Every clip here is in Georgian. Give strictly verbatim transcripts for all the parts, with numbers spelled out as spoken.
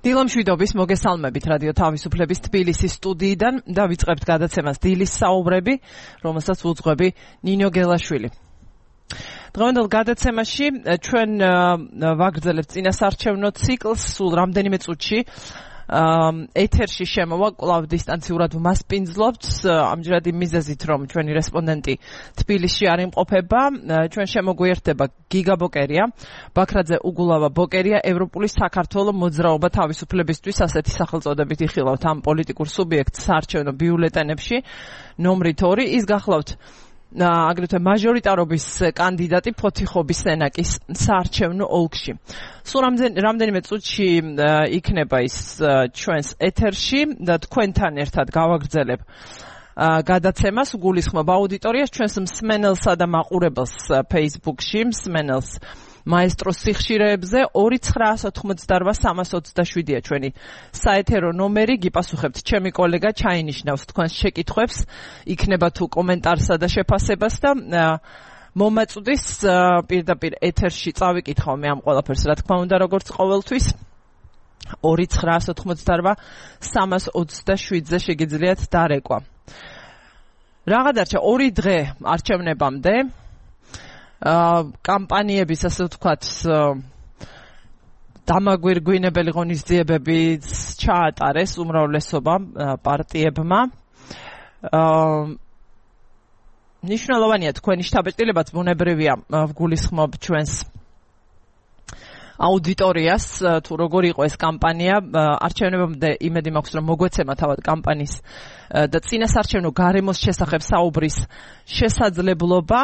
დილამშვიდობის მოგესალმებით რადიო თავისუფლების თბილისის სტუდიიდან და ვიწყებთ გადაცემას დილის საუბრები, რომელსაც უძღვები ნინო გელაშვილი. დღევანდელ გადაცემაში ჩვენ ვაგრძელებთ წინასარჩევნო ციკლს, სულ რამდენიმე წუთში ეთერში შემოვა, კვლავ დისტანციურად ვმასპინძლობთ, ამჯერად იმ მიზეზით, რომ ჩვენი რესპონდენტი თბილისში არ იმყოფება, ჩვენ შემოგვიერთდება გიგა ბოკერია, ბაქრაძე უგულავა ბოკერია, ევროპული საქართველო მოძრაობა თავისუფლებისთვის, ასეთი სახელწოდებით იხილავთ ამ პოლიტიკურ სუბიექტს საარჩევნო ბიულეტენებში, ნომრით ორი, ის გახლავთ აგრეთვე მაჟორიტარობის კანდიდატი ფოთიხობის სენაკის საარჩევნო ოლქში. სულ რამდენიმე წუთში იქნება ის ჩვენს ეთერში და თქვენთან ერთად გავაგრძელებ გადაცემას, გულისხმობ აუდიტორიას, ჩვენს მსმენელსა და მაყურებელს Facebook-ში, მსმენელს მაესტროს სიხშირეებზე ორი ცხრაას ოთხმოცდარვა სამას ოცდაშვიდია ჩვენი საეთერო ნომერი, გიპასუხებთ ჩემი კოლეგა ჩაინიშნავს თქვენს შეკითხვებს, იქნება თუ კომენტარსა და შეფასებას და მომაწვდის პირდაპირ ეთერში წავიკითხავ მე ამ ყველაფერს, რა თქმა უნდა, როგორც ყოველთვის ორი ცხრაას ოთხმოცდარვა სამას ოცდაშვიდზე შეგიძლიათ დარეკვა. რაღა დარჩა ორი დღე არჩევნებამდე. კამპანიების, ასე ვთქვათ, დამაგვირგვინებელი ღონისძიებებიც ჩაატარეს უმრავლესობა პარტიებმა. ნიშნულოვანია თქვენი შთაბეჭდილებაც, ბუნებრივია, ვგულისხმობ ჩვენს აუდიტორიას, თუ როგორ იყო ეს კამპანია, არჩევნებამდე იმედი მაქვს, რომ მოგვეცემა თავად კამპანიის და წინასარჩევნო გარემოს შესახებ საუბრის შესაძლებლობა,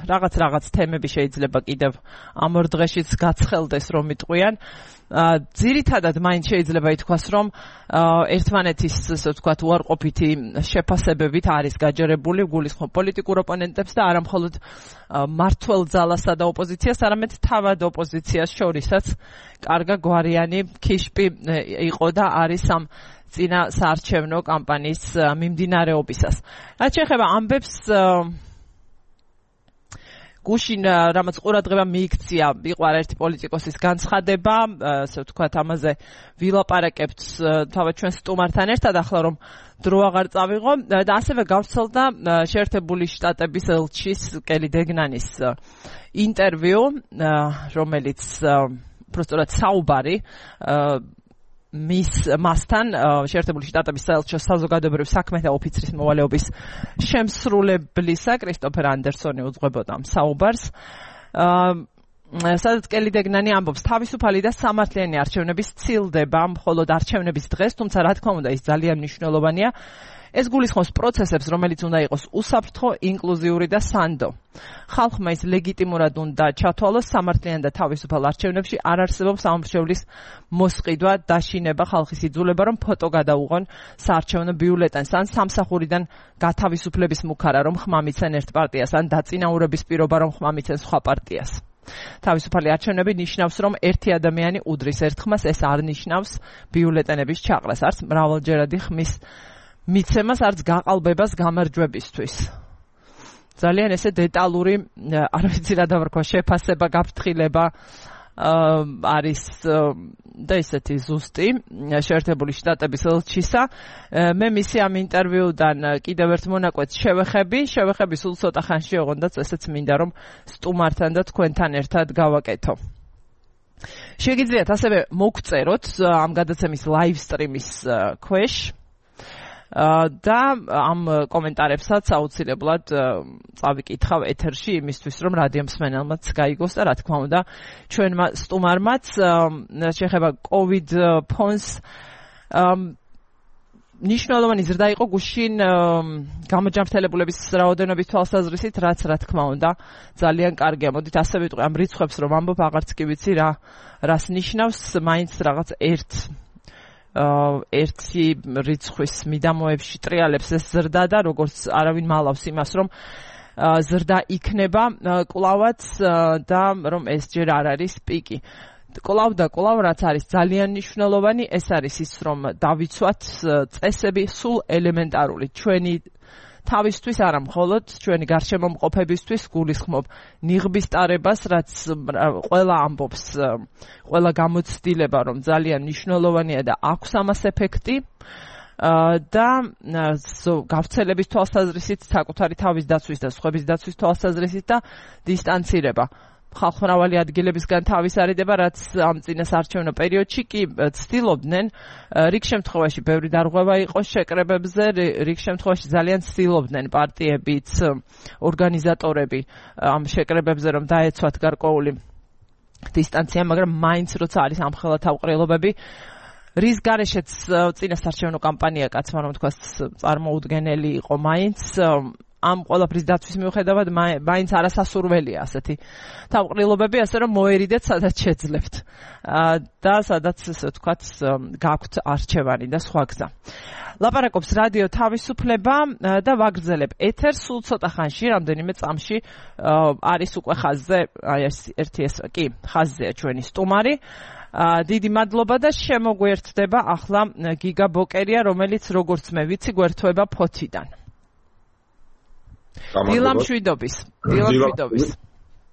რაღაც რაღაც თემები შეიძლება კიდევ ამ ორ დღეშიც გაცხელდეს, რომ იტყვიან. ძირითადად მაინც შეიძლება ითქვას, რომ ერთმანეთის, ასე ვთქვათ, უარყოფითი შეფასებებით არის გაჯერებული, გულისხმობ პოლიტიკურ ოპონენტებს და არა მხოლოდ მმართველ ძალასა და ოპოზიციას, არამედ თავად ოპოზიციას შორისაც კარგა გვარიანი ქიშპი იყო და არის ამ წინა საარჩევნო კამპანიის მიმდინარეობისას. რაც შეეხება ამბებს, გუშინ რამაც ყურადღება მიიქცია, იყო არაერთი პოლიტიკოსის განცხადება, ასე ვთქვათ, ამაზე ვილაპარაკებთ თავად ჩვენ სტუმართან ერთად, ახლა რომ დრო აღარ წავიღო და ასევე გავრცელდა შეერთებული შტატების ელჩის კელი დეგნანის ინტერვიუ, რომელიც უბრალოდ საუბარი მის მასთან შეერთებული შტატების საელჩო საზოგადოებრივ საქმეთა ოფიცრის მოვალეობის შემსრულებლისა კრისტოფერ ანდერსონი უძღვებოდა ამ საუბარს. სადაც კელი დეგნანი ამბობს, თავისუფალი და სამართლიანი არჩევნების ცილდება მხოლოდ არჩევნების დღეს, თუმცა რა თქმა უნდა ის ძალიან მნიშვნელოვანია. ეს გულისხმობს პროცესებს, რომელიც უნდა იყოს უსაფრთხო, ინკლუზიური და სანდო. ხალხმა ის ლეგიტიმურად უნდა ჩათვალოს, სამართლიან და თავისუფალ არჩევნებში არ არსებობს ამორჩევლის მოსყიდვა, დაშინება, ხალხის იძულება, რომ ფოტო გადაუღონ საარჩევნო ბიულეტენს, ან სამსახურიდან გათავისუფლების მუქარა, რომ ხმა მიცენ ერთ პარტიას, ან დაწინაურების პირობა, რომ ხმა მიცენ სხვა პარტიას. თავისუფალი არჩევნები ნიშნავს, რომ ერთი ადამიანი უდრის ერთ ხმას, ეს არ ნიშნავს ბიულეტენების ჩაყრას, არც მრავალჯერადი ხმის მიცემას, არც გაყალბებას გამარჯვებისთვის. ძალიან ესე დეტალური, არ ვიცი რა დავარქვა, შეფასება, გაფრთხილება არის და ისეთი ზუსტი შეერთებული შტატების ელჩისა. მე მისი ამ ინტერვიუდან კიდევ ერთ მონაკვეთს შევეხები, შევეხები სულ ცოტა ხანში, ოღონდაც ესეც მინდა, რომ სტუმართან და თქვენთან ერთად გავაკეთო. შეგიძლიათ ასევე მოგწეროთ ამ გადაცემის live stream-ის ქვეშ და ამ კომენტარებსაც აუცილებლად წავიკითხავ ეთერში, იმისთვის რომ რადიო მსმენელმაც გაიგოს და რა თქმა უნდა ჩვენმა სტუმარმაც შეეხება COVID ფონს ნიშნულოვანი ზრდა იყო გუშინ გამოჯანმრთელებულების რაოდენობის თვალსაზრისით, რაც რა თქმა უნდა ძალიან კარგია. მოდით ასე ვიტყვი, ამ რიცხვებს რომ ამბობ, აღარც კი ვიცი რა რას ნიშნავს, მაინც რაღაც ერთ ერთი რიცხვის მიდამოებში ტრიალებს ეს ზრდა და როგორც არავინ მალავს იმას, რომ ზრდა იქნება კვლავაც და რომ ეს ჯერ არ არის პიკი. კვლავ და კვლავ რაც არის ძალიან მნიშვნელოვანი, ეს არის ის, რომ დავიცვათ წესები სულ ელემენტარული ჩვენი თავისთვის არა მხოლოდ ჩვენი გარშემომყოფებისთვის გულისხმობ ნიღბის ტარებას, რაც ყველა ამბობს, ყველა გამოცდილება, რომ ძალიან მნიშვნელოვანია და აქვს ამას ეფექტი. და გავრცელების თვალსაზრისით, საკუთარი თავის დაცვის და სხვების დაცვის თვალსაზრისით და დისტანცირება. ხალხმრავალი ადგილებისგან თავის არიდება, რაც ამ წინასაარჩევნო პერიოდში კი ცდილობდნენ, რიგ შემთხვევაში ბევრი დარღვევა იყო შეკრებებზე, რიგ შემთხვევაში ძალიან ცდილობდნენ პარტიებიც, ორგანიზატორები ამ შეკრებებზე, რომ დაეცვათ გარკვეული დისტანცია, მაგრამ მაინც როცა არის ამხელა თავყრილობები, რის გარეშეც წინასაარჩევნო კამპანია, კაცმა რომ თქვას, წარმოუდგენელი იყო მაინც, ამ ყველაფრის დაცვის მიუხედავად მაინც არასასურველია ასეთი თავყრილობები, ასე რომ მოერიდეთ სადაც შეძლებთ და სადაც ესე ვთქვათ გაქვთ არჩევანი და სხვა გზა. ლაპარაკობს რადიო თავისუფლება და ვაგრძელებ ეთერს სულ ცოტა ხანში, რამდენიმე წამში არის უკვე ხაზზე, აი ეს ერთი ეს კი ხაზზეა ჩვენი სტუმარი. დიდი მადლობა და შემოგვერთდება ახლა გიგა ბოკერია, რომელიც როგორც მე ვიცი გვერთვება ფოთიდან. დილა მშვიდობის, დილა მშვიდობის.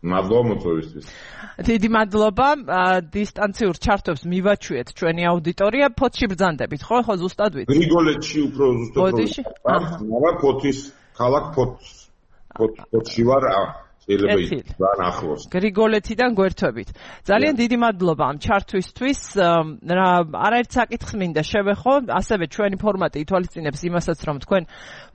მადლობა მოწვევისთვის. დიდი მადლობა, დისტანციურ ჩართვებს მივაჩვიეთ ჩვენი აუდიტორია, ფოთში ბრძანდებით, ხო, ხო ზუსტად ვიცი. გრიგოლეთში უფრო ზუსტად. მაგრამ ფოთის ქალაქ ფოთს ფოთში ვარ, შეიძლება ძალიან ახლოს. გრიგოლეთიდან გვერთვებით. ძალიან დიდი მადლობა ამ ჩართვისთვის. რა არაერთ საკითხს მინდა შევეხო, ასევე ჩვენი ფორმატი ითვალისწინებს იმასაც, რომ თქვენ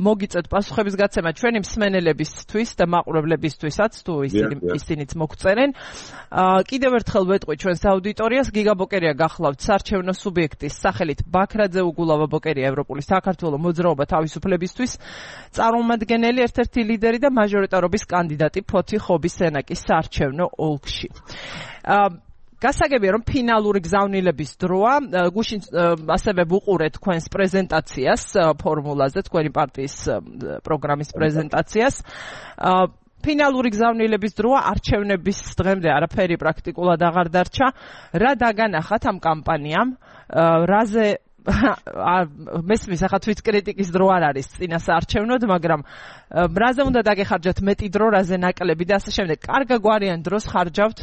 მოგიწევთ პასუხების გაცემა ჩვენი მსმენელებისთვის და მაყურებლებისთვისაც, თუ ისინი ისინიც მოგწერენ. კიდევ ერთხელ ვეტყვი ჩვენს აუდიტორიას, გიგა ბოკერია გახლავთ საარჩევნო სუბიექტის სახელით ბაქრაძე უგულავა ბოკერია, ევროპული საქართველოს მოძრაობა თავისუფლებისთვის წარმომადგენელი, ერთ-ერთი ლიდერი და მაჟორიტარობის კანდიდატი ფოთი ხობის სენაკის საარჩევნო ოლქში. გასაგებია, რომ ფინალური გზავნილების დროა, გუშინ ასევე ვუყურეთ თქვენს პრეზენტაციას ფორმულაზე, თქვენი პარტიის პროგრამის პრეზენტაციას. ფინალური გზავნილების დროა, არჩევნების დღემდე არაფერი პრაქტიკულად აღარ დარჩა. რა დაგანახათ ამ კამპანიამ? რაზე მესმის ახლა თვით კრიტიკის დრო არ არის წინასაარჩევნოდ, მაგრამ რაზე უნდა დაგეხარჯათ მეტი დრო, რაზე ნაკლები და ასე შემდეგ. კარგა გვარიან დროს ხარჯავთ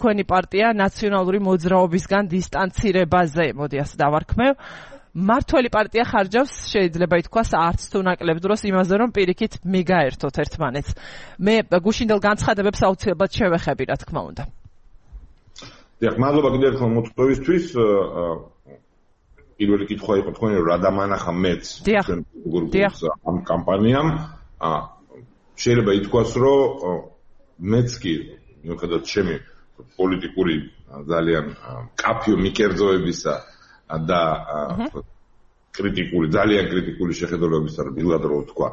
თქვენი პარტია ნაციონალური მოძრაობისგან დისტანცირებაზე, მოდი ასე დავარქმევ. მართველი პარტია ხარჯავს, შეიძლება ითქვას, არც თუ ნაკლებ დროს იმაზე, რომ პირიქით მიგაერთოთ ერთმანეთს. მე გუშინდელ განცხადებებს აუცილებლად შევეხები, რა თქმა უნდა. დიახ, მადლობა კიდევ ერთხელ მოწვევისთვის. პირველი კითხვა იყო თქვენი, რა დამანახა მეც ამ კამპანიამ. შეიძლება ითქვას, რომ მეც კი მიუხედავად ჩემი პოლიტიკური ძალიან კაფიო მიკერძოებისა და კრიტიკული, ძალიან კრიტიკული შეხედულებისა, დილად რო თქვა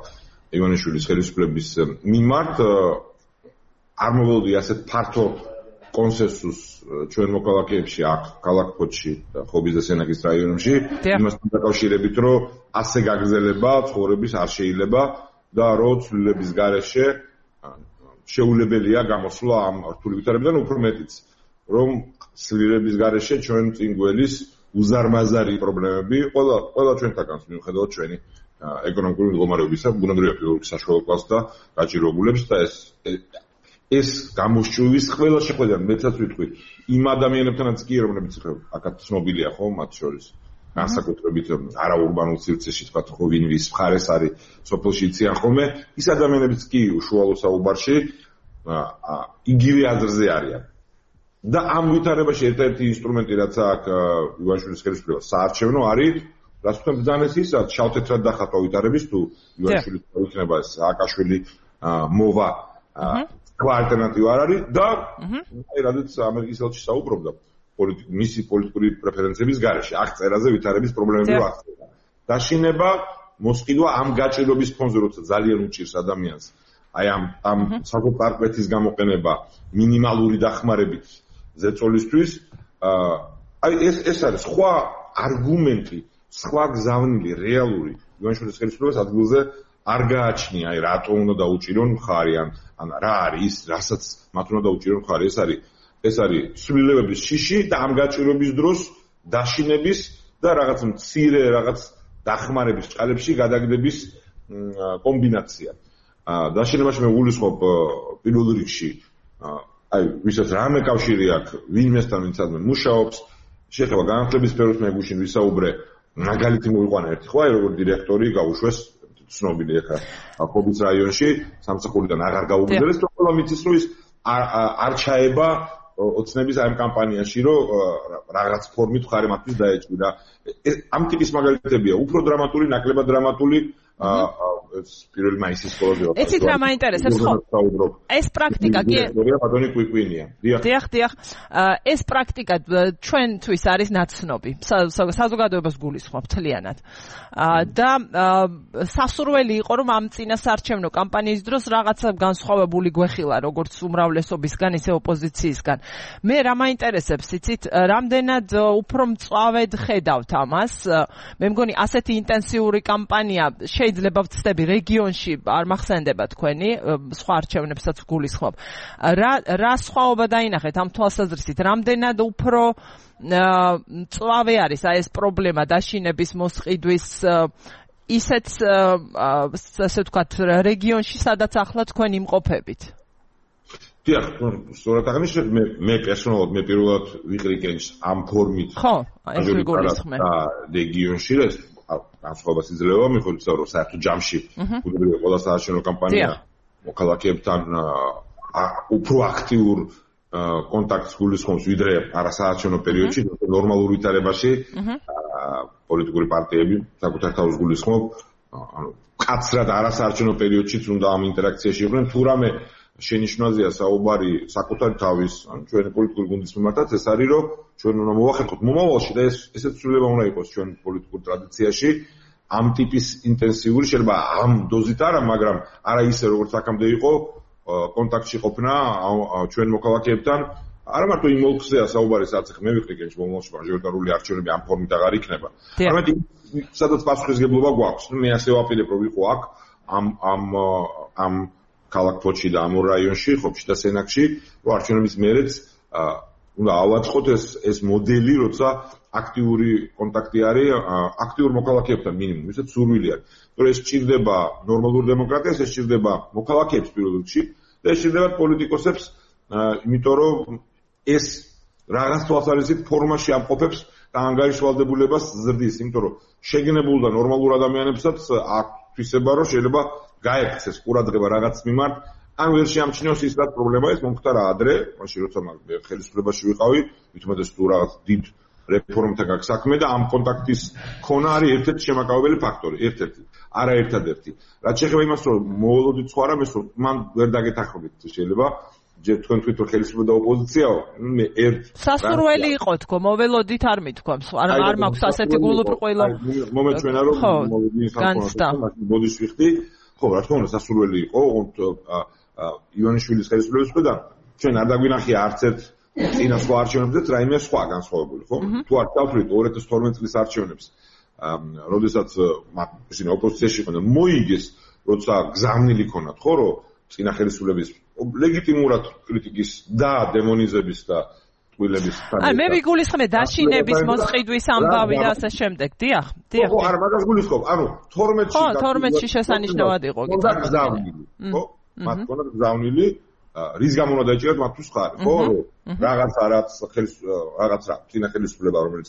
ივანიშვილის ხელისუფლების მიმართ, არ მოვლოდი ასეთ ფართო კონსენსუსს ჩვენ მოქალაქეებში აქ ქალაქ ფოთში და ხობის და სენაკის რაიონებში, იმასთან დაკავშირებით, რომ ასე გაგრძელება ცხოვრების არ შეიძლება და რომ ცვლილების გარეშე შეუძლებელია გამოსვლა ამ რთული ვითარებიდან, უფრო მეტიც, რომ ცვლილების გარეშე ჩვენ წინ გველის უზარმაზარი პრობლემები ყველა ყველა ჩვენთაგანს მიუხედავად ჩვენი ეკონომიკური მდგომარეობისა, ბუნებრივია ფილოლოგიის საშუალო კლასს და გაჭირვებულებს და ეს ეს გამოსჭვის ყველა შეხვედრა მეცაც ვიტყვი იმ ადამიანებთანაც კი, რომლებიც აქაც ცნობილია ხო მათ შორის განსაკუთრებით არაურბანულ სივრცეში თქვა ხო ვინ ვის მხარეს არის სოფელში იციან ხოლმე ის ადამიანებიც კი უშუალო საუბარში იგივე აზრზე არიან და ამ ვითარებაში ერთ-ერთი ინსტრუმენტი რაც აქვს ივანიშვილის ხელისუფლებას საარჩევნო არის რაც თქვენ ბრძანეს ის რაც შავ-თეთრად დახატვა ვითარების თუ ივანიშვილი იქნება სააკაშვილი მოვა სხვა ალტერნატივა არ არის და აი რადგან ამერიკის ელჩი საუბრობდა მისი პოლიტიკური პრეფერენციების გარეშე აქ წერაზე ვითარების პრობლემები ვახდება. დაშინება მოსყიდვა ამ გაჭირვების ფონზე, როცა ძალიან უჭირს ადამიანს. აი ამ ამ საკუთარ-პარტიის გამოყენება მინიმალური დახმარებით ზეწოლისთვის, აი ეს ეს არის სხვა არგუმენტი, სხვა გზავნილი, რეალური ივანიშვილის ხელისუფლებას ადგილზე არ გააჩნია, აი რატო უნდა დაუჭირონ მხარი ან ან რა არის, რასაც მათ უნდა დაუჭირონ მხარი, ეს არის ეს არის ცვლილებების შიში და ამ გაჭირვების დროს დაშინების და რაღაც მცირე რაღაც დახმარების ჭალებში გადაგდების კომბინაცია. დაშინებაში მე ვულისხმობ პირველ რიგში აი ვისაც რამე კავშირი აქვს ვინმესთან ვინც ადმე მუშაობს, შეხება განათლების სფეროს მე გუშინ ვისაუბრე, მაგალითი მოვიყვანა ერთი ხო აი როგორ დირექტორი გაუშვეს ცნობილი ახლა ხობის რაიონში სამსახურიდან აღარ გაუგზავნეს, რომ ყველა მიცის რომ ის არ ჩაება ოცნების ამ კამპანიაში, რომ რაღაც ფორმით ხარი მათთვის დაეჭვირა. ამ ტიპის მაგალითებია, უფრო დრამატული, ნაკლებად დრამატული ეს პირველი მაისის სკოლაზე. ეცით რა მაინტერესებს ხო? ეს პრაქტიკა კი ბატონი კვიკვინია. დიახ, დიახ. ეს პრაქტიკა ჩვენთვის არის ნაცნობი. საზოგადოებას გულისხმობ მთლიანად. და სასურველი იყო რომ ამ წინასაარჩევნო კამპანიის დროს რაღაცა განსხვავებული გვეხილა, როგორც უმრავლესობისგან, ისე ოპოზიციისგან. მე რა მაინტერესებს, იცით, რამდენად უფრო მწვავედ ხედავთ ამას. მე მგონი ასეთი ინტენსიური კამპანია შეიძლება ვწდები რეგიონში არ მახსენდება თქვენი სხვა არჩევნებსაც გულისხმობ. რა რა სხვაობა დაინახეთ ამ თვალსაზრისით? რამდენად უფრო მწვავე არის აი ეს პრობლემა დაშინების მოსყიდვის ისეთ ასე ვთქვათ რეგიონში, სადაც ახლა თქვენ იმყოფებით? დიახ, სწორად აღნიშნეთ, მე მე პერსონალურად მე პირველად ვიყრიკენს ამ ფორმით. ხო, ეს ვიგულისხმე. რეგიონში ეს განსხვავებას იძლევა, მიხედვით რომ საერთოდ ჯამში უბრალოდ ყველა საარჩევნო კამპანია მოქალაქეებთან უფრო აქტიურ კონტაქტს გულისხმობს, ვიდრე არასაარჩევნო პერიოდში, ნორმალურ ვითარებაში პოლიტიკური პარტიები საკუთარ თავს გულისხმობ, ანუ კაცრად არასაარჩევნო პერიოდშიც უნდა ამ ინტერაქციაში იყვნენ, თუ რამე შენიშვნაზეა საუბარი საკუთარი თავის, ანუ ჩვენი პოლიტიკური გუნდის მიმართაც, ეს არის რომ ჩვენ უნდა მოვახერხოთ მომავალში და ეს ესეც ცვლილება უნდა იყოს ჩვენ პოლიტიკურ ტრადიციაში, ამ ტიპის ინტენსიური შეიძლება ამ დოზით არა, მაგრამ არა ისე როგორც აქამდე იყო კონტაქტში ყოფნა ჩვენ მოქალაქეებთან, არა მარტო იმ ოლქზეა საუბარი, სადაც მე ვიყრიგენ მომავალში მაჟორიტარული არჩევნები ამ ფორმით აღარ იქნება. არამედ სადაც პასუხისგებლობა გვაქვს. მე ასე ვაპირებ რომ ვიყო აქ ამ ამ ამ ქალაქ ფოჩი და ამ რაიონში, ხობში და სენაკში, რომ არჩევნების მერეც უნდა ავაწყოთ ეს ეს მოდელი, როცა აქტიური კონტაქტი არის აქტიურ მოქალაქეებთან მინიმუმ, ვისაც სურვილი აქვს. რომ ეს სჭირდება ნორმალურ დემოკრატიას, ეს სჭირდება მოქალაქეებს პირველ რიგში და ეს სჭირდება პოლიტიკოსებს, იმიტომ რომ ეს რაღაც თვალსაზრისით ფორმაში ამყოფებს და ანგარიშვალდებულებას ზრდის, იმიტომ რომ შეგნებულ და ნორმალურ ადამიანებსაც აქვს თვისება, რომ შეიძლება გაექცეს ყურადღება რაღაც მიმართ, ან ვერ შეამჩნიოს ის რაც პრობლემა ის მომხდარა ადრე, მაშინ როცა მე ხელისუფლებაში ვიყავი, ვითომაც თუ რაღაც დიდ რეფორმებთან გაქვს საქმე და ამ კონტაქტის ქონა არის ერთ-ერთი შემაკავებელი ფაქტორი, ერთ-ერთი, არა ერთადერთი. რაც შეეხება იმას, რომ მოველოდით სხვა რამეს, რომ მან ვერ დაგეთანხმებით შეიძლება ჯერ თქვენ თვითონ ხელისუფლება და ოპოზიციაო, მე ერთ სასურველი იყო თქო, მოველოდით არ მithქვამს, არ არ მაქვს ასეთი გულუბრყვილო მომეჩვენა რომ მოვიდი განცდა. ბოდიშ ვიხდი, ხო, რა თქმა უნდა სასურველი იყო, ივანიშვილის ხელისუფლების მხრიდან ჩვენ არ დაგვინახია არც ერთ წინა სხვა არჩევნებზეც რაიმე სხვა განსხვავებული, ხო? თუ არ დავთვლით ორი ათას თორმეტ წლის არჩევნებს, როდესაც ისინი ოპოზიციაში იყვნენ, მოიგეს, როცა გზავნილი ქონათ, ხო, რომ წინა ხელისუფლების ლეგიტიმურად კრიტიკის და დემონიზების და ტყუილების აი მე ვიგულისხმე დაშინების მოსყიდვის ამბავი და ასე შემდეგ. დიახ, დიახ. ხო, არა, მაგას გულისხმობ. ანუ თორმეტში ხო, თორმეტში შესანიშნავად იყო კი. ხო? მათ ქონათ გზავნილი, რის გამო უნდა დაიჭირათ მათთვის ხარი, ხო? რაღაც არაც რაღაც რა, წინა ხელისუფლება, რომელიც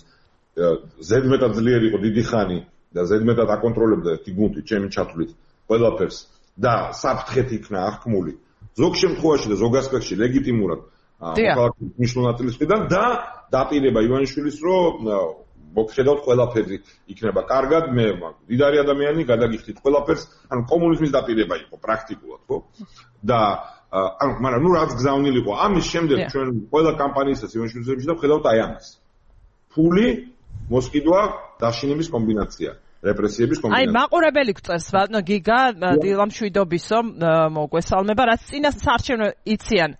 ზედმეტად ძლიერი იყო დიდი ხანი და ზედმეტად აკონტროლებდა ერთი გუნდი, ჩემი ჩათვლით, ყველაფერს და საფრთხეთ იქნა აღქმული. ზოგ შემთხვევაში და ზოგ ასპექტში ლეგიტიმურად მოქალაქეების მნიშვნელოვნაწილის მხრიდან და დაპირება ივანიშვილის, რომ მოგხედავთ ყველაფერი იქნება კარგად, მე დიდარი ადამიანი გადაგიხდით ყველაფერს, ანუ კომუნიზმის დაპირება იყო პრაქტიკულად, ხო? და ანუ მაგრამ ნუ რაც გზავნილი იყო, ამის შემდეგ ჩვენ ყველა კამპანიისას ივანიშვილის და ვხედავთ აი ამას. ფული, მოსყიდვა, დაშინების კომბინაცია. რეპრესიების კომბინაცია. აი მაყურებელი გწერს, ბატონო გიგა, დილამშვიდობისო, მოგვესალმება, რაც წინა საარჩევნო იციან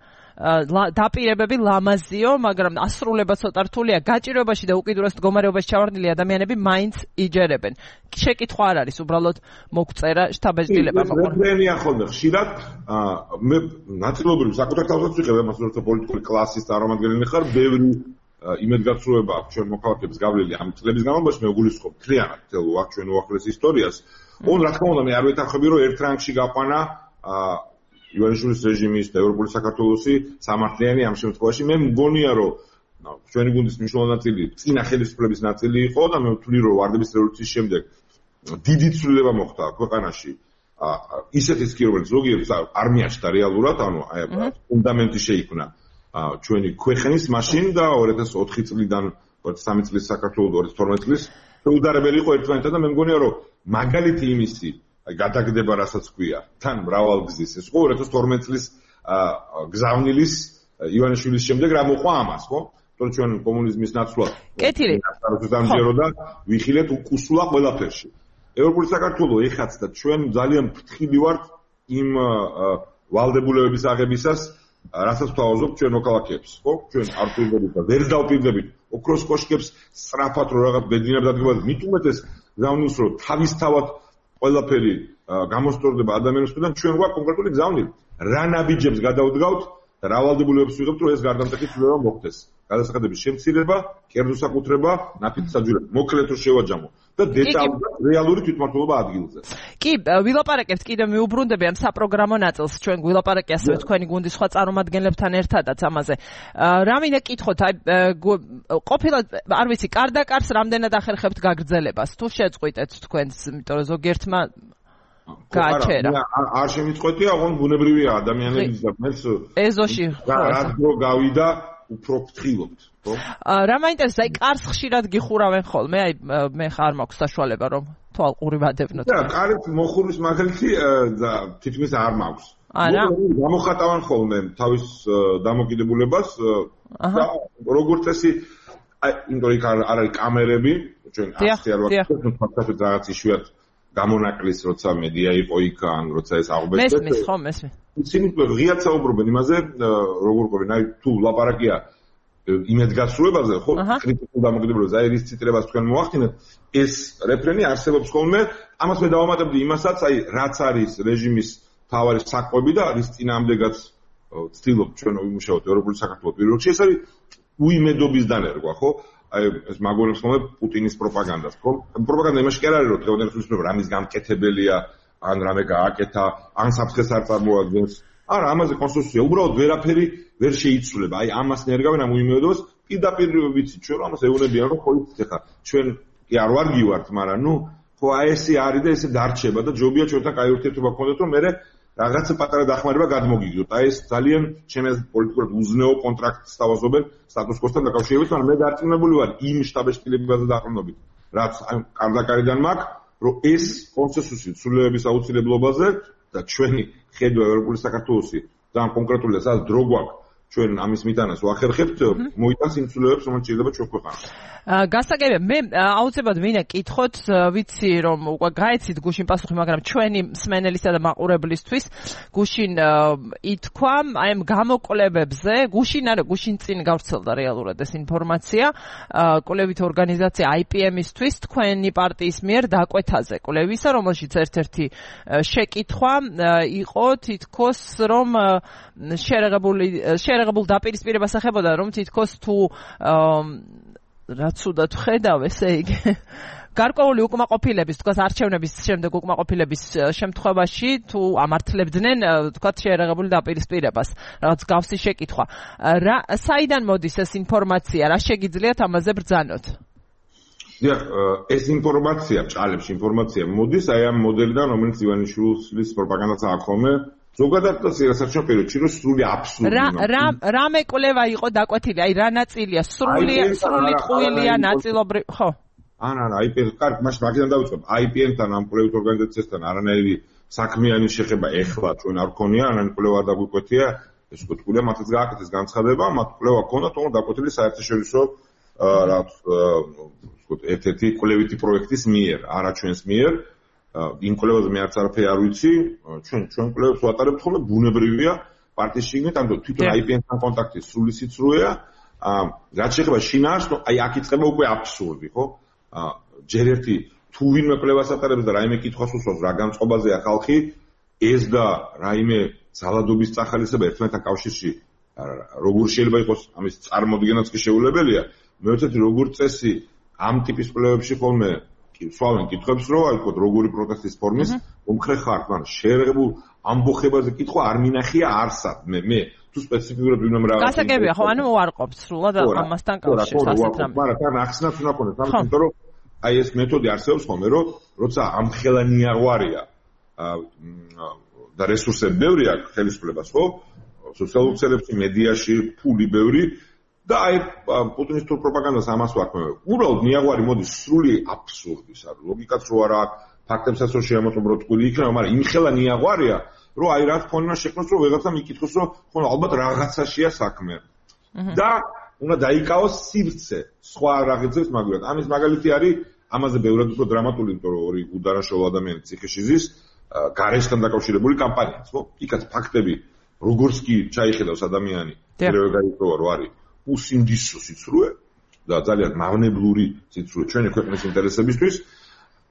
დაპირებები ლამაზიო, მაგრამ ასრულება ცოტა რთულია. გაჭირვებაში და უკიდურეს მდგომარეობაში ჩავარდნილი ადამიანები მაინც იჯერებენ. შეკითხვა არ არის, უბრალოდ მოგწერა შთაბეჭდილება მოყოლ. რენია ხოლმე ხშირად მე ნაწილობრივ საკუთარ თავსაც ვიღებ, ამას როცა პოლიტიკური კლასის წარმომადგენელი ხარ, ბევრი იმედგაცრუება აქვს ჩვენ მოქალაქეებს გავლილი ამ წლების განმავლობაში, მე გულისხმობ მთლიანად თელ ჩვენ უახლოეს ისტორიას. ოღონდ რა თქმა უნდა მე არ ვეთანხმები რომ ერთ რანგში გაყვანა ივანიშვილის რეჟიმის და ევროპული საქართველოსი სამართლიანი ამ შემთხვევაში. მე მგონია რომ ჩვენი გუნდის მნიშვნელოვანი ნაწილი წინა ხელისუფლების ნაწილი იყო და მე ვთვლი რომ ვარდების რევოლუციის შემდეგ დიდი ცვლილება მოხდა ქვეყანაში. ისეთის კი რომელიც ზოგიერთს არ მიაჩნდა რეალურად, ანუ აი ფუნდამენტი შეიქმნა ჩვენი ქვეყნის მაშინ და ორი ათას ოთხი წლიდან სამი წლის საქართველოს ორი ათას თორმეტ წლის უდარებელი იყო ერთმანეთთან და მე მგონია რომ მაგალითი იმისი გადაგდება რასაც ქვია თან მრავალგზის ეს იყო ორი ათას თორმეტ წლის გზავნილის ივანიშვილის შემდეგ რა მოყვა ამას ხო? თორე ჩვენ კომუნიზმის ნაცვლად კეთილი სამჯერო და ვიხილეთ უკუსლა ყველაფერში. ევროპული საქართველო ეხაც და ჩვენ ძალიან ფრთხილი ვართ იმ ვალდებულებების აღებისას, რასაც ვთავაზობთ ჩვენ მოქალაქეებს, ხო? ჩვენ არ ვფიქრობთ და ვერ დავფიქრდებით ოქროს კოშკებს სწრაფად რო რაღაც ბედნიერად დადგება, მით უმეტეს გზავნილს რომ თავისთავად ყველაფერი გამოსწორდება ადამიანებისგან, ჩვენ გვაქვს კონკრეტული გზავნილი. რა ნაბიჯებს გადავდგავთ და რა ვალდებულებებს ვიღებთ, რომ ეს გარდამტეხი ცვლილება მოხდეს. გადასახადების შემცირება, კერძოსაკუთრება, ნაფიც საჯულება, მოკლედ რო შევაჯამო და დეტალურად რეალური თვითმმართველობა ადგილზე. კი, ვილაპარაკებთ კიდევ მიუბრუნდები ამ საპროგრამო ნაწილს, ჩვენ გვილაპარაკე ასევე თქვენი გუნდის სხვა წარმომადგენლებთან ერთადაც ამაზე. რა მინდა კითხოთ, აი ყოფილად არ ვიცი, კარდაკარს რამდენად ახერხებთ გაგრძელებას, თუ შეწყვიტეთ თქვენს, იმიტომ რომ ზოგიერთმა გააჩერა. არ შემიწყვეტია, ოღონდ ბუნებრივია ადამიანების და მეც ეზოში რა დრო გავიდა უფრო ფრთხილობთ, ხო? რა მაინტერესებს, აი კარს ხშირად გიხურავენ ხოლმე, აი მე ხარ მაქვს საშუალება რომ თვალყური ვადევნოთ. და კარით მოხურის მაგალითი და თითქმის არ მაქვს. არა. გამოხატავენ ხოლმე თავის დამოკიდებულებას და როგორც წესი აი იმიტომ იქ არ არის კამერები, ჩვენ ასეთი არ ვაკეთებთ, ფაქტობრივად რაღაც იშვიათ გამონაკლის როცა მედია იყო იქ ან როცა ეს აღბეჭდეთ. მესმის ხო, მესმის. ისინი ღიად საუბრობენ იმაზე, როგორ ყოფილი, აი თუ ლაპარაკია იმედგაცრუებაზე, ხო, კრიტიკულ დამოკიდებულებას, აი რის ციტრებას თქვენ მოახდინეთ, ეს რეფრენი არსებობს ხოლმე, ამას მე დავამატებდი იმასაც, აი რაც არის რეჟიმის თავარი საკვები და რის წინააღმდეგაც ცდილობთ ჩვენ ვიმუშაოთ ევროპული საქართველოს პირველ რიგში, ეს არის უიმედობის დანერგვა, ხო? აი ეს მაგონებს ხოლმე პუტინის პროპაგანდას, ხო? პროპაგანდა იმაში კი არ არის, რომ დღევანდელი ხელისუფლება რამის გამკეთებელია, ან რამე გააკეთა, ან საფრთხეს არ წარმოადგენს. არა, ამაზე კონსტიტუცია უბრალოდ ვერაფერი ვერ შეიცვლება. აი ამას ნერგავენ ამ უიმედობას, პირდაპირ ვიცით ჩვენ, რომ ამას ეუბნებიან, რომ ხო იცით ხა, ჩვენ კი არ ვარ გივართ, მაგრამ ნუ ხო აი ესე არის და ესე დარჩება და ჯობია ჩვენთან კაი ურთიერთობა გქონდეთ, რომ მე რაღაცა პატარა დახმარება გადმოგიგდოთ. აი ეს ძალიან ჩემს პოლიტიკურად უზნეო კონტრაქტს თავაზობენ სტატუს კოსთან დაკავშირებით, მაგრამ მე დარწმუნებული ვარ იმ შტაბ-შტილებაზე დაყრდნობით, რაც აი კარდაკარიდან მაქვს, რომ ეს კონსენსუსი ცვლილების აუცილებლობაზე და ჩვენი ხედვა ევროპული საქართველოსი ძალიან კონკრეტულია, სადაც დრო გვაქვს ჩვენ ამის მიტანას ვახერხებთ, მოიტანს იმ ცვლილებებს, რომელიც ჭირდება ჩვენ ქვეყანას. გასაგებია, მე აუცილებლად მინდა კითხოთ, ვიცი რომ უკვე გაეცით გუშინ პასუხი, მაგრამ ჩვენი მსმენელისა და მაყურებლისთვის გუშინ ითქვა აი ამ გამოკვლევებზე, გუშინ არა, გუშინ წინ გავრცელდა რეალურად ეს ინფორმაცია, კვლევით ორგანიზაცია აი პი ემ-ისთვის თქვენი პარტიის მიერ დაკვეთაზე კვლევისა, რომელშიც ერთ-ერთი შეკითხვა იყო თითქოს რომ შერეღებული შერეღებულ დაპირისპირებას ეხებოდა, რომ თითქოს თუ რაც უდად ხედავ, ესე იგი გარკვეული უკმაყოფილების, თქვათ არჩევნების შემდეგ უკმაყოფილების შემთხვევაში თუ ამართლებდნენ, თქვათ შერეღებული დაპირისპირებას, რაღაც გავსი შეკითხვა. რა საიდან მოდის ეს ინფორმაცია, რა შეგიძლიათ ამაზე ბრძანოთ? დიახ, ეს ინფორმაცია, ჭალებში ინფორმაცია მოდის აი ამ მოდელიდან, რომელიც ივანიშვილის პროპაგანდას აქვს ხოლმე. ზოგადად და საერთო პერიოდში რომ სრული აბსურდი. რა რა რა მეკვლევა იყო დაკვეთილი? აი რა ნაწილია? სრული სრული ტყუილია ნაწილობრივ, ხო? არა, არა, აი პი ემ, კარგი, მაშინ მაგიდან დავიწყებ. აი პი ემ-თან ამ კვლევით ორგანიზაციასთან არანაირი საქმიანი შეხება ეხლა ჩვენ არ გქონია, არანაირი კვლევა არ დაგვიკვეთია, ეს უკვე თქვია, მათაც გააკეთეს განცხადება, მათ კვლევა ჰქონდათ, თუმცა დაკვეთილი საერთაშორისო რა ვთქვათ, ერთ-ერთი კვლევითი პროექტის მიერ, არა ჩვენს მიერ. იმ კვლევაზე მე არც არაფერი არ ვიცი, ჩვენ ჩვენ კვლევებს ვატარებთ ხოლმე, ბუნებრივია პარტიის შიგნით, ამიტომ თვითონ აი პი ემ-თან კონტაქტი სრული სიცრუეა. რაც შეეხება შინაარს, აი აქ იწყება უკვე აბსურდი, ხო? ჯერ ერთი თუ ვინმე კვლევას ატარებს და რაიმე კითხვას უსვამს, რა განწყობაზეა ხალხი, ეს და რაიმე ძალადობის წახალისება ერთმანეთთან კავშირში როგორ შეიძლება იყოს ამის წარმოდგენაც კი შეუძლებელია. მე ვთქვი, როგორ წესი ამ ტიპის კვლევებში ხოლმე სვავენ კითხვებს, რომ აი თქო როგორი პროტესტის ფორმის მომხრე ხარ, მაგრამ შეერღებულ ამბოხებაზე კითხვა არ მინახია არსად. მე მე თუ სპეციფიკურად ვინმე რაღაც გასაგებია ხო, ანუ უარყოფთ სრულად ამასთან კავშირს ასეთ რამე. მაგრამ თან ახსნათ უნდა ქონდეს, იმიტომ რომ აი ეს მეთოდი არსებობს ხოლმე, რომ როცა ამხელანი აღვარია და რესურსები ბევრი აქვს ხელისუფლებას, ხო? სოციალურ ქსელებში, მედიაში, ფული ბევრი და აი პუტინის თუ პროპაგანდას ამას ვაქმევ. უბრალოდ მიაღვარი მოდის სრული აბსურდის, ანუ ლოგიკაც რო არა აქვს, ფაქტებსაც რო შეამოწმო თქვილი იქნება, მაგრამ იმხელა მიაღვარია, რომ აი რა თქმა უნდა შექმნას, რომ ვიღაცამ იკითხოს, რომ ხო ალბათ რაღაცაშია საქმე. და უნდა დაიკავოს სივრცე, სხვა რაღაცებს მაგალითად. ამის მაგალითი არის, ამაზე ბევრად უფრო დრამატული, იმიტომ რომ ორი უდანაშაულო ადამიანი ციხეში ზის, გარეშთან დაკავშირებული კამპანიაც, ხო? იქაც ფაქტები როგორც კი ჩაიხედავს ადამიანი, პირველ გაიწოვა რო არის უსინდისო სიცრუე და ძალიან მავნებლური სიცრუე ჩვენი ქვეყნის ინტერესებისთვის,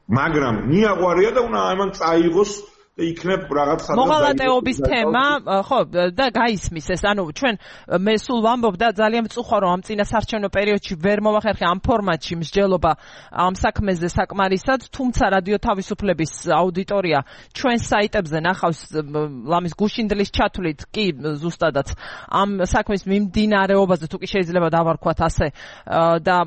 მაგრამ მიაღვარია და უნდა ამან წაიღოს და იქნებ რაღაც სადღაც მოღალატეობის თემა, ხო, და გაისმის ეს, ანუ ჩვენ მე სულ ვამბობ და ძალიან მწუხარ რომ ამ წინასარჩევნო პერიოდში ვერ მოვახერხე ამ ფორმატში მსჯელობა ამ საქმეზე საკმარისად, თუმცა რადიო თავისუფლების აუდიტორია ჩვენ საიტებზე ნახავს ლამის გუშინდლის ჩათვლით კი ზუსტადად ამ საქმის მიმდინარეობაზე თუ კი შეიძლება დავარქვათ ასე და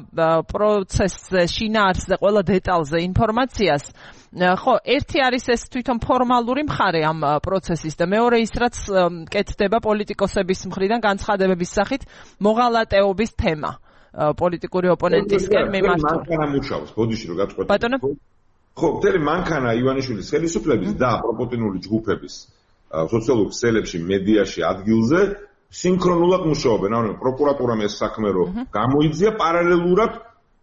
პროცესზე, შინაარსზე, ყველა დეტალზე ინფორმაციას. ხო, ერთი არის ეს თვითონ ფორმალური მხარე ამ პროცესის და მეორე ის რაც კეთდება პოლიტიკოსების მხრიდან განცხადებების სახით მოღალატეობის თემა პოლიტიკური ოპონენტისკენ მიმართული. მანქანა მუშაობს, ბოდიში რომ გაწყვეტი. ბატონო? ხო, მთელი მანქანა ივანიშვილის ხელისუფლების და პროპოტინული ჯგუფების სოციალურ ქსელებში, მედიაში, ადგილზე სინქრონულად მუშაობენ. ანუ პროკურატურამ ეს საქმე რომ გამოიძია პარალელურად